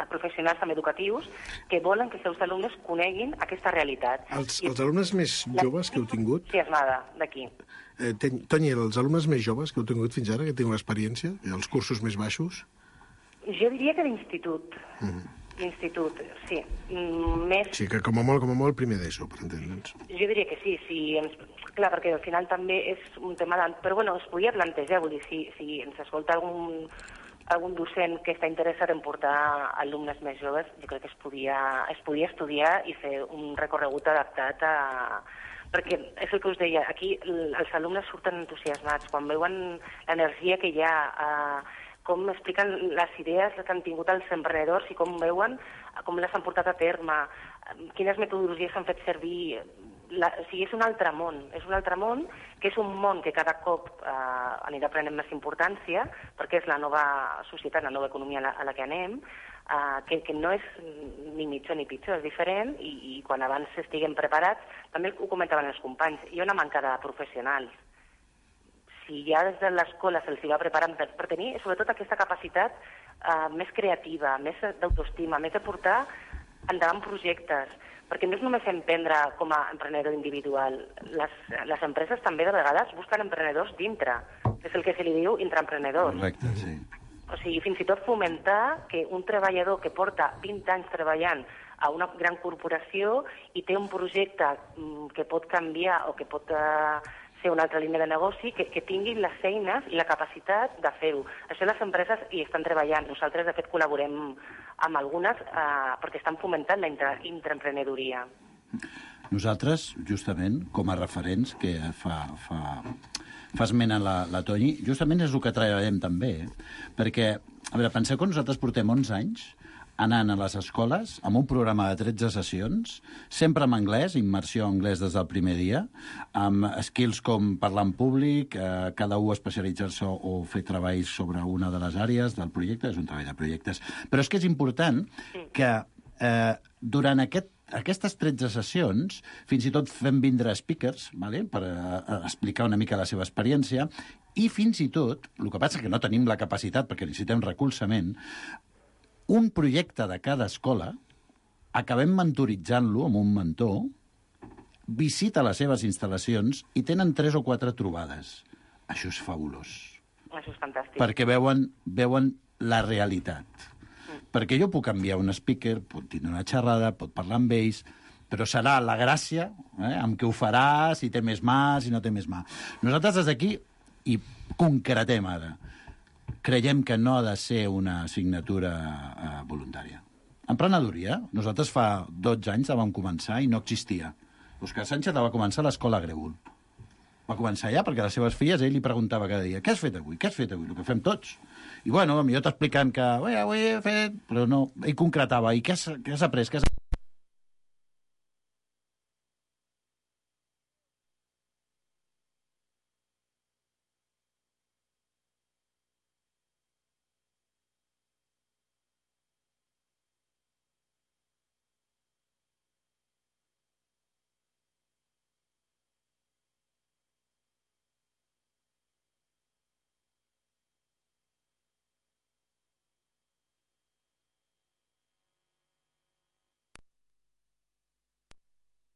professionals també educatius que volen que els seus alumnes coneguin aquesta realitat. Els alumnes més joves que heu tingut... Entusiasmada, d'aquí. Toni, els alumnes més joves que heu tingut fins ara, que teniu experiència, els cursos més baixos? Jo diria que d'institut. L'institut, sí. Sí, que com a molt primer d'ESO, per entendre'ns. Jo diria que sí. Clar, perquè al final també és un tema... Però bueno, es podia plantejar, vull dir, si ens escolta algun docent que està interessat en portar alumnes més joves, jo crec que es podia estudiar i fer un recorregut adaptat perquè és el que us deia, aquí els alumnes surten entusiasmats, quan veuen l'energia que hi ha, com expliquen les idees que han tingut els emprenedors i com veuen, com les han portat a terme, quines metodologies s'han fet servir. O sigui, és un altre món que és un món que cada cop anirà prenent més importància perquè és la nova societat, la nova economia a la que anem, que no és ni millor ni pitjor, és diferent i quan abans estiguem preparats, també ho comentaven els companys, hi ha una manca de professionals. Si ja des de l'escola se'ls va preparant per tenir sobretot aquesta capacitat més creativa, més d'autoestima, més de portar endavant projectes, perquè no és només emprendre com a emprenedor individual. Les empreses també de vegades busquen emprenedors dintre, és el que se li diu intraemprenedor. Correcte, sí. O sigui, fins i tot fomentar que un treballador que porta 20 anys treballant a una gran corporació i té un projecte que pot canviar o que pot fer una altra línia de negoci, que tinguin les eines i la capacitat de fer-ho. Això les empreses hi estan treballant. Nosaltres, de fet, col·laborem amb algunes perquè estan fomentant la intraemprenedoria. Nosaltres, justament, com a referents, que fa esment a la Toni, justament és el que treballem també, perquè, a veure, penseu que nosaltres portem 11 anys anant a les escoles amb un programa de 13 sessions, sempre en anglès, immersió en anglès des del primer dia, amb skills com parlar en públic, cada un especialitzar-se o fer treballs sobre una de les àrees del projecte, és un treball de projectes. Però és que és important que durant aquestes 13 sessions, fins i tot fem vindre speakers, vale? Per explicar una mica la seva experiència, i fins i tot, el que passa és que no tenim la capacitat, perquè necessitem recolzament, un projecte de cada escola, acabem mentoritzant-lo amb un mentor, visita les seves instal·lacions i tenen 3 o 4 trobades. Això és fabulós. Això és fantàstic. Perquè veuen la realitat. Perquè jo puc enviar un speaker, pot tindre una xerrada, pot parlar amb ells, però serà la gràcia amb què ho farà, si té més mà, si no té més mà. Nosaltres des d'aquí, i concretem ara, creiem que no ha de ser una assignatura voluntària. Emprenedoria, nosaltres fa 12 anys vam començar i no existia. Òscar Sánchez va començar a l'escola Grèvol. Va començar allà perquè a les seves filles ell li preguntava cada dia: què has fet avui? Què has fet avui? El que fem tots. I bueno, jo t'explicant que avui he fet... Però no, ell concretava. I què has après? Què has...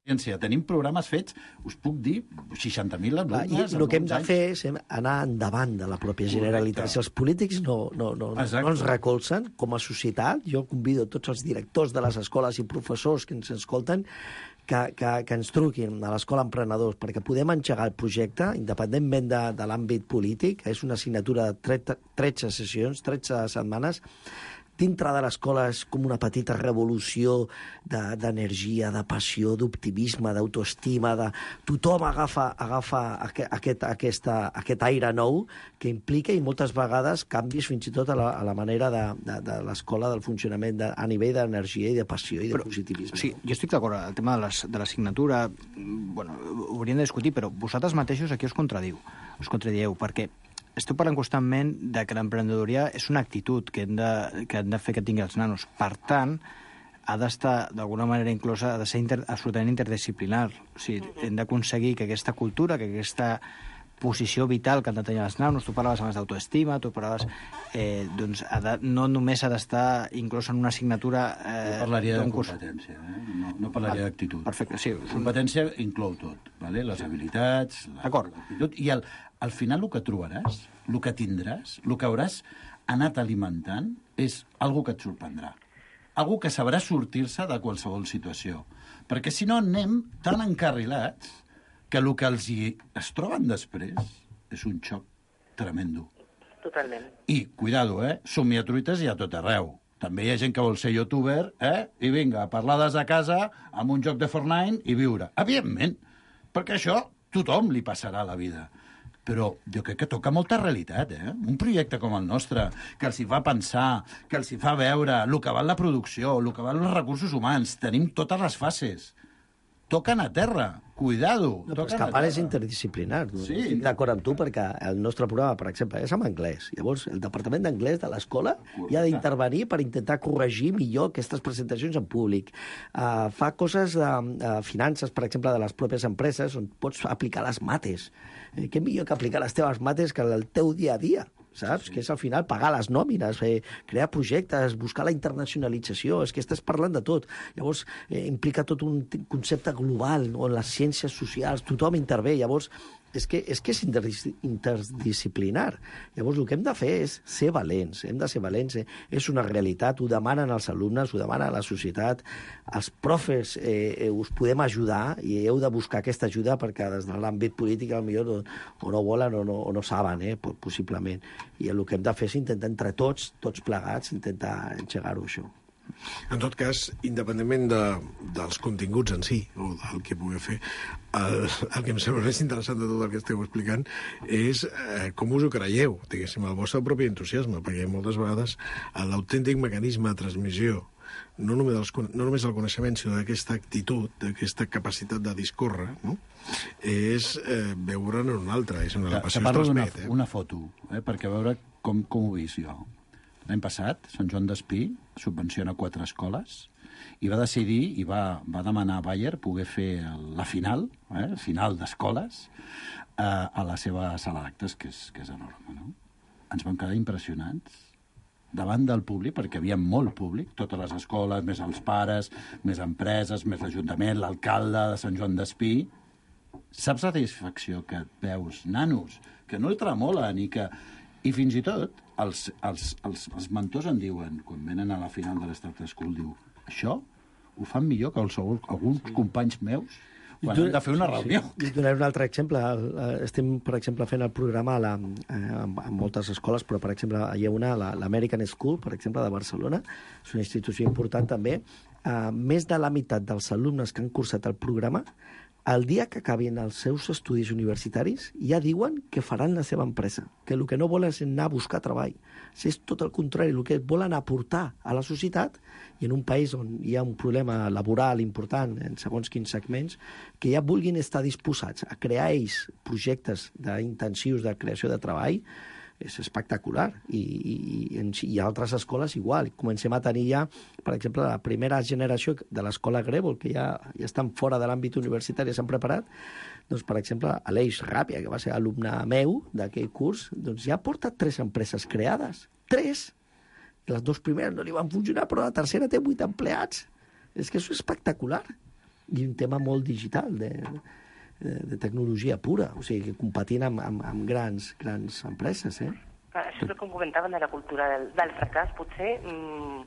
Tenim programes fets, us puc dir, 60.000 alumnes... El que hem de fer és anar endavant de la pròpia Generalitat. Si els polítics no ens recolzen, com a societat, jo convido tots els directors de les escoles i professors que ens escolten que ens truquin a l'Escola Emprenedors perquè podem engegar el projecte, independentment de l'àmbit polític. És una assignatura de 13 sessions, 13 setmanes. Dintre de l'escola és com una petita revolució d'energia, de passió, d'optimisme, d'autoestima. Tothom agafa aquest aire nou que implica i moltes vegades canvis fins i tot a la manera de l'escola, del funcionament a nivell d'energia i de passió i de positivisme. Sí, jo estic d'acord. El tema de l'assignatura, bueno, ho hauríem de discutir, però vosaltres mateixos aquí us contradieu, perquè esteu parlant constantment de que l'emprenedoria és una actitud que hem de fer que tingui els nanos. Per tant, ha d'estar, d'alguna manera inclosa, ha de ser absolutament interdisciplinar. O sigui, hem d'aconseguir que aquesta cultura, que aquesta posició vital que han de tenir els nanos, tu parlaves abans d'autoestima, tu parlaves... doncs no només ha d'estar inclòs en una assignatura... Jo parlaria de competència, no parlaria d'actitud. Perfecte, sí. Competència inclou tot, vale? Les habilitats, l'actitud, i al final el que trobaràs, el que tindràs, el que hauràs anat alimentant és algo que et sorprendrà. Algo que sabrà sortir-se de qualsevol situació. Perquè si no anem tan encarrilats que el que es troben després és un xoc tremendo. Totalment. I, cuidado, somiatruites hi ha tot arreu. També hi ha gent que vol ser youtuber, i vinga, parlar des de casa amb un joc de Fortnite i viure. Evidentment, perquè això tothom li passarà a la vida. Però jo crec que toca molta realitat, Un projecte com el nostre, que els hi fa pensar, que els hi fa veure el que val la producció, el que val els recursos humans, tenim totes les fases. Toquen a terra, cuidado. No, però és que a part és interdisciplinar. Sí. Estic d'acord amb tu perquè el nostre programa, per exemple, és en anglès. Llavors, el departament d'anglès de l'escola hi ha d'intervenir per intentar corregir millor aquestes presentacions en públic. Fa coses de finances, per exemple, de les pròpies empreses, on pots aplicar les mates. Què millor que aplicar les teves mates que el teu dia a dia? Saps? Sí. Que és al final pagar les nòmines, crear projectes, buscar la internacionalització, és que estàs parlant de tot. Llavors, implica tot un concepte global, on les ciències socials, tothom intervé. Llavors, és que és interdisciplinar. Llavors, el que hem de fer és ser valents, hem de ser valents. És una realitat, ho demanen els alumnes, ho demana la societat, els profes us podem ajudar i heu de buscar aquesta ajuda perquè des de l'àmbit polític potser o no volen o no saben, possiblement. I el que hem de fer és intentar entre tots plegats, intentar engegar-ho, això. En tot cas, independentment dels continguts en si, o del que pugui fer, el que em sembla més interessant de tot el que esteu explicant és com us ho creieu, diguéssim, el vostre propi entusiasme, perquè moltes vegades l'autèntic mecanisme de transmissió, no només el coneixement, sinó d'aquesta actitud, d'aquesta capacitat de discórrer, no? És veure'n en un altre, és on la passió es transmet. Una foto, perquè veure com ho he vist jo. L'any passat, Sant Joan d'Espí subvenciona 4 escoles i va decidir i va demanar a Bayer poder fer la final d'escoles a la seva sala d'actes, que és enorme, no? Ens vam quedar impressionants davant del públic, perquè hi havia molt públic, totes les escoles, més els pares, més empreses, més l'Ajuntament, l'alcalde de Sant Joan d'Espí. Saps la satisfacció que et veus, nanos, que no el tremolen i fins i tot els mentors en diuen, quan venen a la final de l'Start School, diu, això ho fan millor que alguns companys meus quan han de fer una reunió. I donaré un altre exemple. Estem, per exemple, fent el programa en moltes escoles, però, per exemple, hi ha una, l'American School, per exemple, de Barcelona, és una institució important també. Més de la meitat dels alumnes que han cursat el programa, el dia que acabin els seus estudis universitaris, ja diuen que faran la seva empresa, que el que no volen és anar a buscar treball. És tot el contrari, el que volen aportar a la societat, i en un país on hi ha un problema laboral important en segons quins segments, que ja vulguin estar disposats a crear ells projectes intensius de creació de treball, és espectacular. I altres escoles igual. Comencem a tenir ja, per exemple, la primera generació de l'escola Grèvol, que ja estan fora de l'àmbit universitari, s'han preparat. Doncs, per exemple, Aleix Ràpia, que va ser alumne meu d'aquell curs, doncs ja porta 3 empreses creades. 3! Les 2 primeres no li van funcionar, però la tercera té 8 empleats. És que això és espectacular. I un tema molt digital, de tecnologia pura, o sigui, competint amb grans empreses, Això és el que comentaven de la cultura del fracàs. Potser no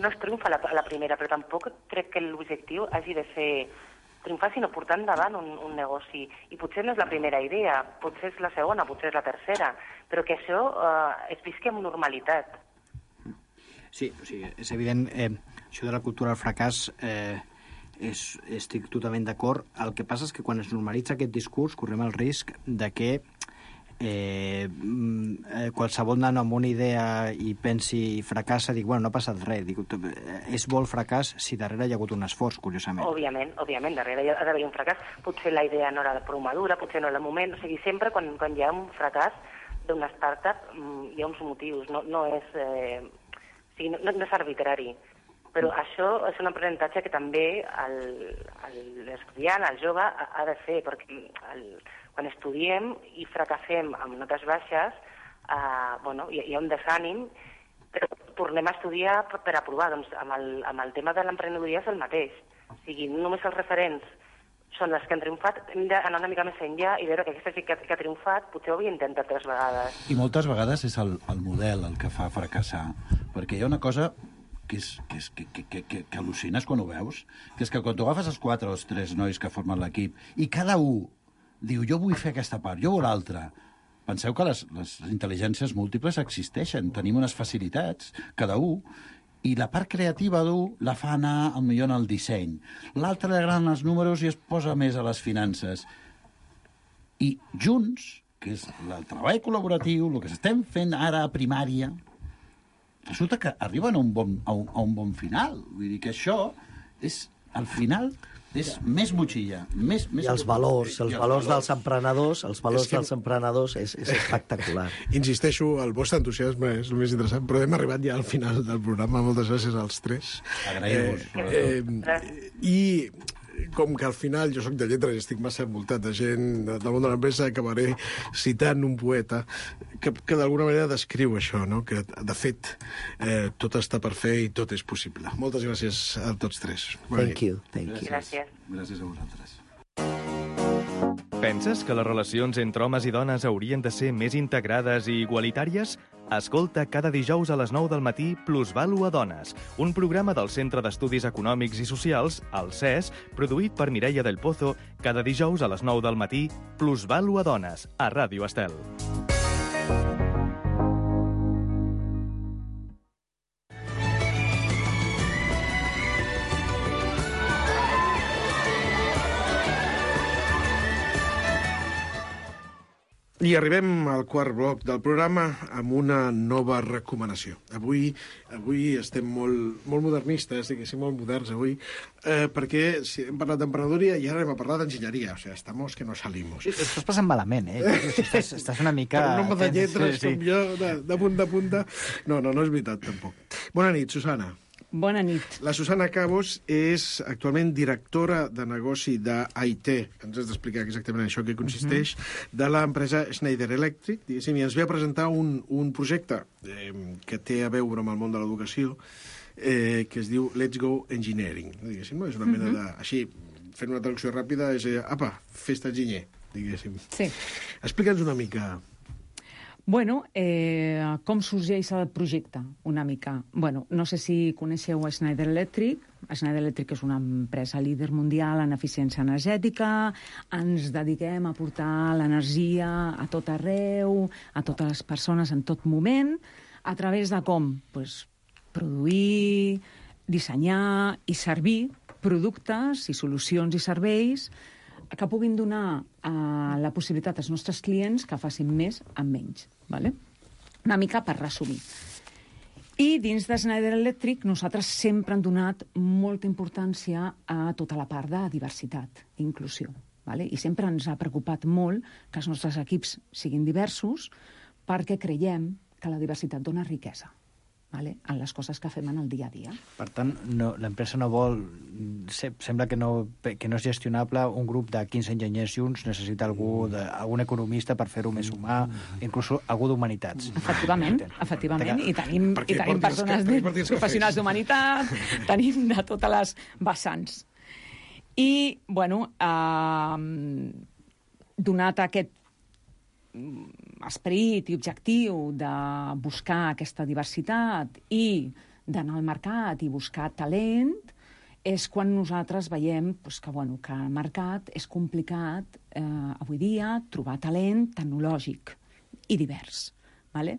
es triomfa a la primera, però tampoc crec que l'objectiu hagi de ser triomfar, sinó portar endavant un negoci. I potser no és la primera idea, potser és la segona, potser és la tercera, però que això es visqui amb normalitat. Sí, o sigui, és evident, això de la cultura del fracàs... estic totalment d'acord. El que passa és que quan es normalitza aquest discurs correm el risc de que qualsevol nano amb una idea i pensi i fracassa, dic, bueno, no ha passat res. Dic, és bo el fracàs si darrere hi ha hagut un esforç, curiosament. Òbviament, darrere hi ha d'haver un fracàs. Potser la idea no era prou madura, potser no era el moment. O sigui, sempre quan hi ha un fracàs d'una startup hi ha uns motius. No és arbitrari. Però això és un aprenentatge que també l'estudiant, el jove, ha de fer, perquè quan estudiem i fracassem amb notes baixes, hi ha un desànim, però tornem a estudiar per aprovar. Doncs amb el tema de l'emprenedoria és el mateix. O sigui, només els referents són els que han triomfat, hem d'anar una mica més enllà i veure que aquesta gent que ha triomfat potser ho havia intentat 3 vegades. I moltes vegades és el model el que fa fracassar, perquè hi ha una cosa que al·lucines quan ho veus, que és que quan tu agafes els 4 o els 3 nois que formen l'equip i cada un diu, jo vull fer aquesta part, jo vull l'altra. Penseu que les intel·ligències múltiples existeixen, tenim unes facilitats, cada un, i la part creativa d'un la fa anar millor en el disseny. L'altre li agraden els números i es posa més a les finances. I junts, que és el treball col·laboratiu, el que estem fent ara a primària, resulta que arriben a un bon final. Vull dir que això és, al final, és més motxilla. I els valors dels emprenedors, és espectacular. Insisteixo, el vostre entusiasme és el més interessant, però hem arribat ja al final del programa. Moltes gràcies als 3. Agraïm-vos. I com que al final jo sóc de lletres i estic massa envoltat de gent del món de l'empresa, acabaré citant un poeta que d'alguna manera descriu això, no? Que de fet tot està per fer i tot és possible. Moltes gràcies a tots 3. Thank you. Gràcies. Gràcies a vosaltres. Penses que les relacions entre homes i dones haurien de ser més integrades i igualitàries? Escolta cada dijous a les 9 del matí Plusvàlua Dones, un programa del Centre d'Estudis Econòmics i Socials, el CES, produït per Mireia del Pozo, cada dijous a les 9 del matí Plusvàlua Dones, a Ràdio Estel. I arribem al quart bloc del programa amb una nova recomanació. Avui estem molt modernistes, diguéssim, molt moderns avui, perquè si hem parlat d'emprenedoria i ara hem parlat d'enginyeria. O sigui, estamos que no salimos. Estàs passant malament, eh? Estàs una mica... Per un home de lletres com jo, de punta. No és veritat, tampoc. Bona nit, Susana. Bona nit. La Susana Cabos és actualment directora de negoci d'IT. Ens has d'explicar exactament això que consisteix, de l'empresa Schneider Electric, diguéssim, i ens ve a presentar un projecte que té a veure amb el món de l'educació, que es diu Let's Go Engineering. Diguéssim, no? És una mena de... Així, fent una traducció ràpida, és... Apa, festa enginyer, diguéssim. Sí. Explica'ns una mica... Bueno, com sorgeix el projecte, una mica? Bueno, no sé si coneixeu a Schneider Electric. Schneider Electric és una empresa líder mundial en eficiència energètica. Ens dediquem a portar l'energia a tot arreu, a totes les persones en tot moment, a través de com? Pues, produir, dissenyar i servir productes i solucions i serveis que puguin donar la possibilitat als nostres clients que facin més amb menys. Vale? Una mica per resumir. I dins de Schneider Electric nosaltres sempre hem donat molta importància a tota la part de diversitat i inclusió. Vale? I sempre ens ha preocupat molt que els nostres equips siguin diversos perquè creiem que la diversitat dona riquesa. Vale? En les coses que fem en el dia a dia. Per tant, l'empresa no vol... Sembla que no és gestionable un grup de 15 enginyers junts, necessita algun economista per fer-ho més humà, inclús algú d'humanitats. Efectivament. I tenim persones professionals d'humanitat, tenim de totes les vessants. I, bueno, donat aquest esperit i objectiu de buscar aquesta diversitat i d'anar al mercat i buscar talent, és quan nosaltres veiem que al mercat és complicat avui dia trobar talent tecnològic i divers. Vale?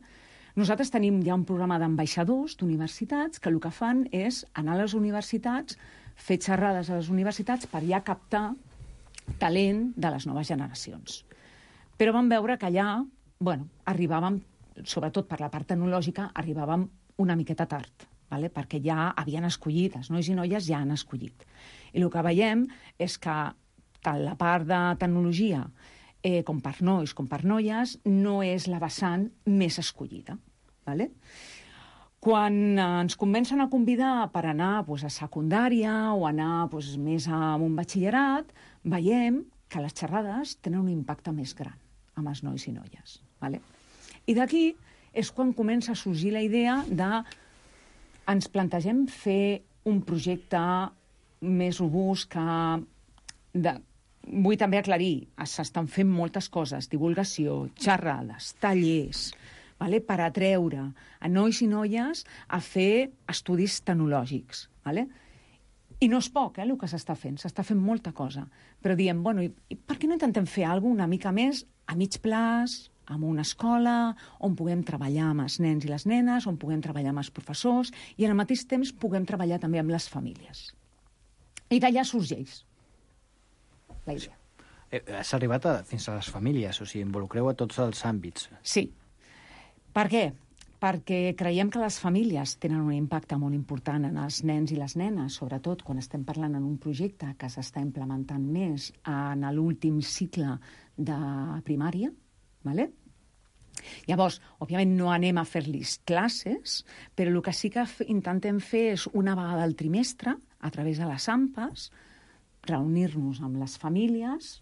Nosaltres tenim ja un programa d'ambaixadors d'universitats que el que fan és anar a les universitats, fer xerrades a les universitats per ja captar talent de les noves generacions. Però vam veure que allà, arribàvem, sobretot per la part tecnològica, arribàvem una miqueta tard, vale? Perquè ja havien escollit, els nois i noies ja han escollit. I el que veiem és que tant la part de tecnologia com per nois com per noies no és la vessant més escollida. Vale? Quan ens comencen a convidar per anar a secundària o anar més a un batxillerat, veiem que les xerrades tenen un impacte més gran amb els nois i noies. Vale? I d'aquí és quan comença a sorgir la idea de ens plantegem fer un projecte més robust que... Vull també aclarir, s'estan fent moltes coses, divulgació, xerrades, tallers, vale? Per atreure a nois i noies a fer estudis tecnològics. Vale? I no és poc, el que s'està fent molta cosa. Però diem, i per què no intentem fer alguna una mica més a mig plaç, en una escola, on puguem treballar amb els nens i les nenes, on puguem treballar amb els professors, i al mateix temps puguem treballar també amb les famílies. I d'allà sorgeix la idea. Has arribat fins a les famílies, o sigui, involucreu a tots els àmbits. Sí. Per què? Perquè creiem que les famílies tenen un impacte molt important en els nens i les nenes, sobretot quan estem parlant en un projecte que s'està implementant més en l'últim cicle de primària. Vale? Llavors, òbviament no anem a fer-los classes, però el que sí que intentem fer és una vegada al trimestre, a través de les AMPAs, reunir-nos amb les famílies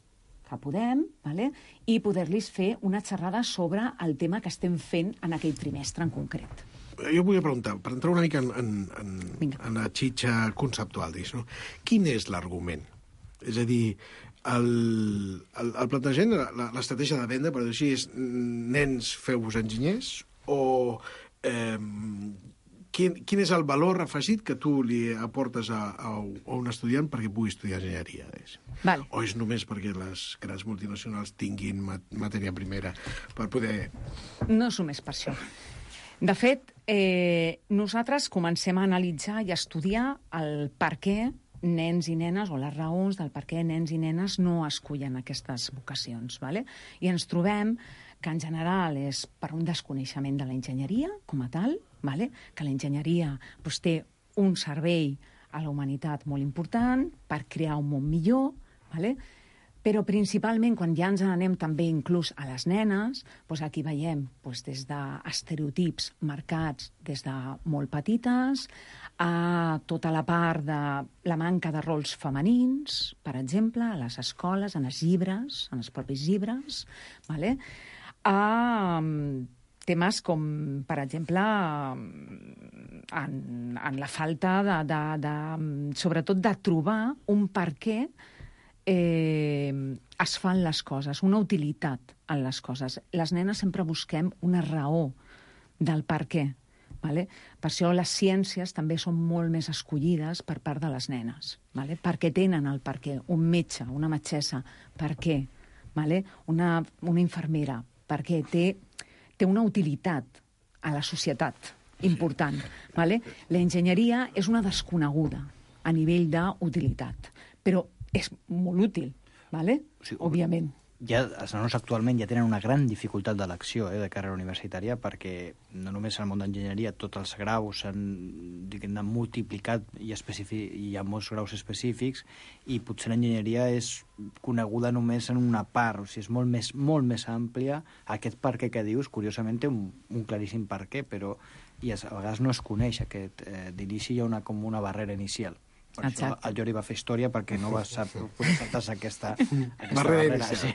que podem, vale? I poder-los fer una xerrada sobre el tema que estem fent en aquell trimestre en concret. Jo volia preguntar, per entrar una mica en la xitxa conceptual, no? Quin és l'argument? És a dir, el plantejament, l'estratègia de venda, per dir així, és nens, feu-vos enginyers, o quin és el valor afegit que tu li aportes a un estudiant perquè pugui estudiar enginyeria? Vale. O és només perquè les grans multinacionals tinguin matèria primera per poder... No és només per això. De fet, nosaltres comencem a analitzar i a estudiar el per què nens i nenes, o les raons del per què nens i nenes no escullen aquestes vocacions. ¿vale? I ens trobem que en general és per un desconeixement de la enginyeria com a tal, ¿vale? Que la enginyeria té un servei a la humanitat molt important per crear un món millor, ¿vale? Però principalment quan ja ens n'anem també inclús a les nenes, aquí veiem des d'estereotips marcats des de molt petites a tota la part de la manca de rols femenins, per exemple, a les escoles, en els llibres, en els propis llibres, ¿vale? A temes com, per exemple, en la falta sobretot de trobar un per què es fan les coses, una utilitat en les coses. Les nenes sempre busquem una raó del per què. ¿vale? Per això les ciències també són molt més escollides per part de les nenes, ¿vale? Perquè tenen el per què. Un metge, una metgessa, per què? ¿Vale? Una infermera, perquè té una utilitat a la societat important. ¿Vale? La enginyeria és una desconeguda a nivell d'utilitat, però és molt útil, ¿vale? Òbviament. Ja, els nanos actualment ja tenen una gran dificultat d'elecció de carrera universitària, perquè no només en el món d'enginyeria tots els graus s'han multiplicat i hi ha molts graus específics, i potser l'enginyeria és coneguda només en una part, o sigui, és molt més àmplia. Aquest per què que dius, curiosament, té un claríssim per què, però a vegades no es coneix aquest d'inici, hi ha com una barrera inicial. Per això el Jordi va fer història, perquè no va poder saltar-se aquesta barrera. Sí.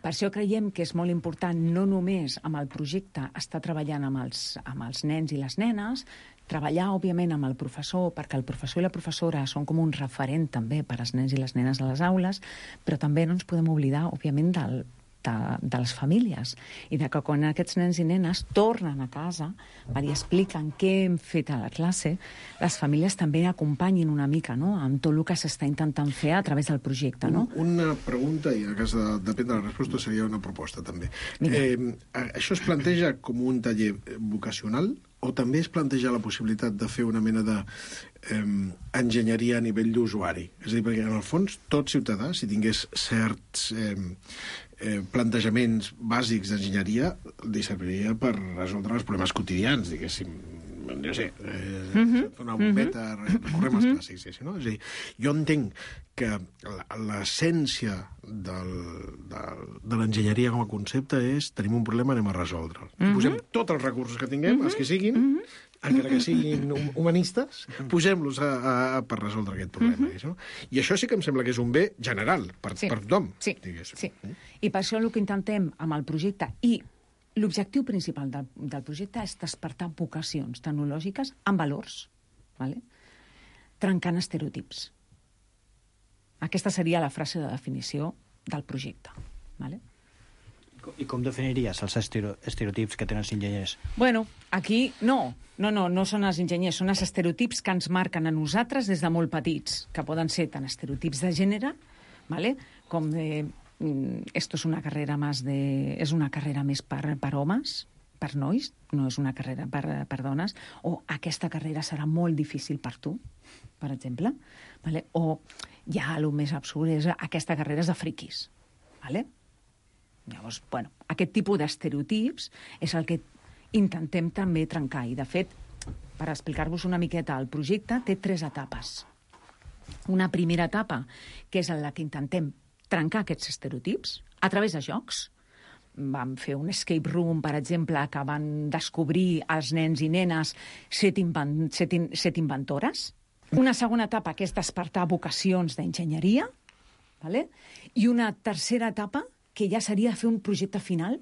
Per això creiem que és molt important no només amb el projecte estar treballant amb els nens i les nenes, treballar, òbviament, amb el professor, perquè el professor i la professora són com un referent també per als nens i les nenes a les aules, però també no ens podem oblidar, òbviament, de les famílies, i de que quan aquests nens i nenes tornen a casa i expliquen què hem fet a la classe, les famílies també acompanyin una mica, no?, amb tot el que s'està intentant fer a través del projecte. No? Una pregunta, i en cas de depèn de la resposta seria una proposta també. Això es planteja com un taller vocacional, o també es planteja la possibilitat de fer una mena d'enginyeria a nivell d'usuari? És a dir, perquè en el fons tot ciutadà, si tingués certs plantejaments bàsics d'enginyeria, li serviria per resoldre els problemes quotidians, diguéssim, no sé, una bombeta, recorrem als clàssics, no? És a dir, jo entenc que l'essència de l'enginyeria com a concepte és tenim un problema, anem a resoldre'l. Posem tots els recursos que tinguem, els que siguin, encara que siguin humanistes, posem-los per resoldre aquest problema. I això sí que em sembla que és un bé general per tothom. Sí. I per això el que intentem amb el projecte, i l'objectiu principal del projecte, és despertar vocacions tecnològiques amb valors, trencant estereotips. Aquesta seria la frase de definició del projecte. I com definiries els estereotips que tenen els enginyers? Bueno, aquí no són els enginyers, són els estereotips que ens marquen a nosaltres des de molt petits, que poden ser tant estereotips de gènere, com esto és una carrera més per homes, per nois, no és una carrera per dones, o aquesta carrera serà molt difícil per tu, per exemple, o ja el més absurd és aquesta carrera és de friquis. Llavors, aquest tipus d'estereotips és el que intentem també trencar. I, de fet, per explicar-vos una miqueta, el projecte té 3 etapes. Una primera etapa, que és en la que intentem trencar aquests estereotips a través de jocs. Vam fer un escape room, per exemple, que van descobrir els nens i nenes 7 inventores. Una segona etapa, que és despertar vocacions d'enginyeria. I una tercera etapa, que ja seria fer un projecte final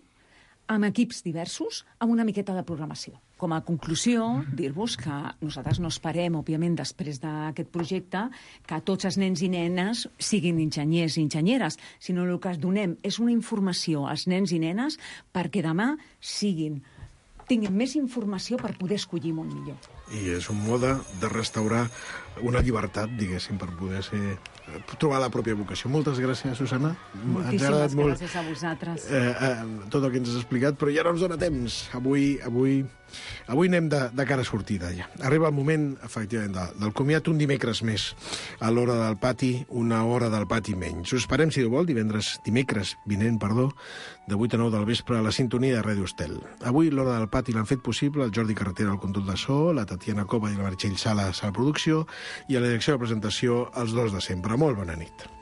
amb equips diversos, amb una miqueta de programació. Com a conclusió, dir-vos que nosaltres no esperem, òbviament, després d'aquest projecte, que tots els nens i nenes siguin enginyers i enginyeres, sinó el que es donem és una informació als nens i nenes perquè demà tinguin més informació per poder escollir molt millor. I és un mode de restaurar una llibertat, diguéssim, per poder trobar la pròpia vocació. Moltes gràcies, Susana. Moltíssimes gràcies a vosaltres. Tot el que ens has explicat, però ja no ens dona temps. Avui anem de cara a sortida, ja. Arriba el moment, efectivament, del comiat un dimecres més. A l'hora del pati, una hora del pati menys. Us esperem, si Déu vol, dimecres vinent, de 8 a 9 del vespre a la sintonia de Ràdio Estel. Avui, l'hora del pati l'han fet possible el Jordi Carretera al control de so, la Tatiana Cova i la Meritxell Sales a la producció, i a la direcció de presentació els dos de sempre. Molt bona nit.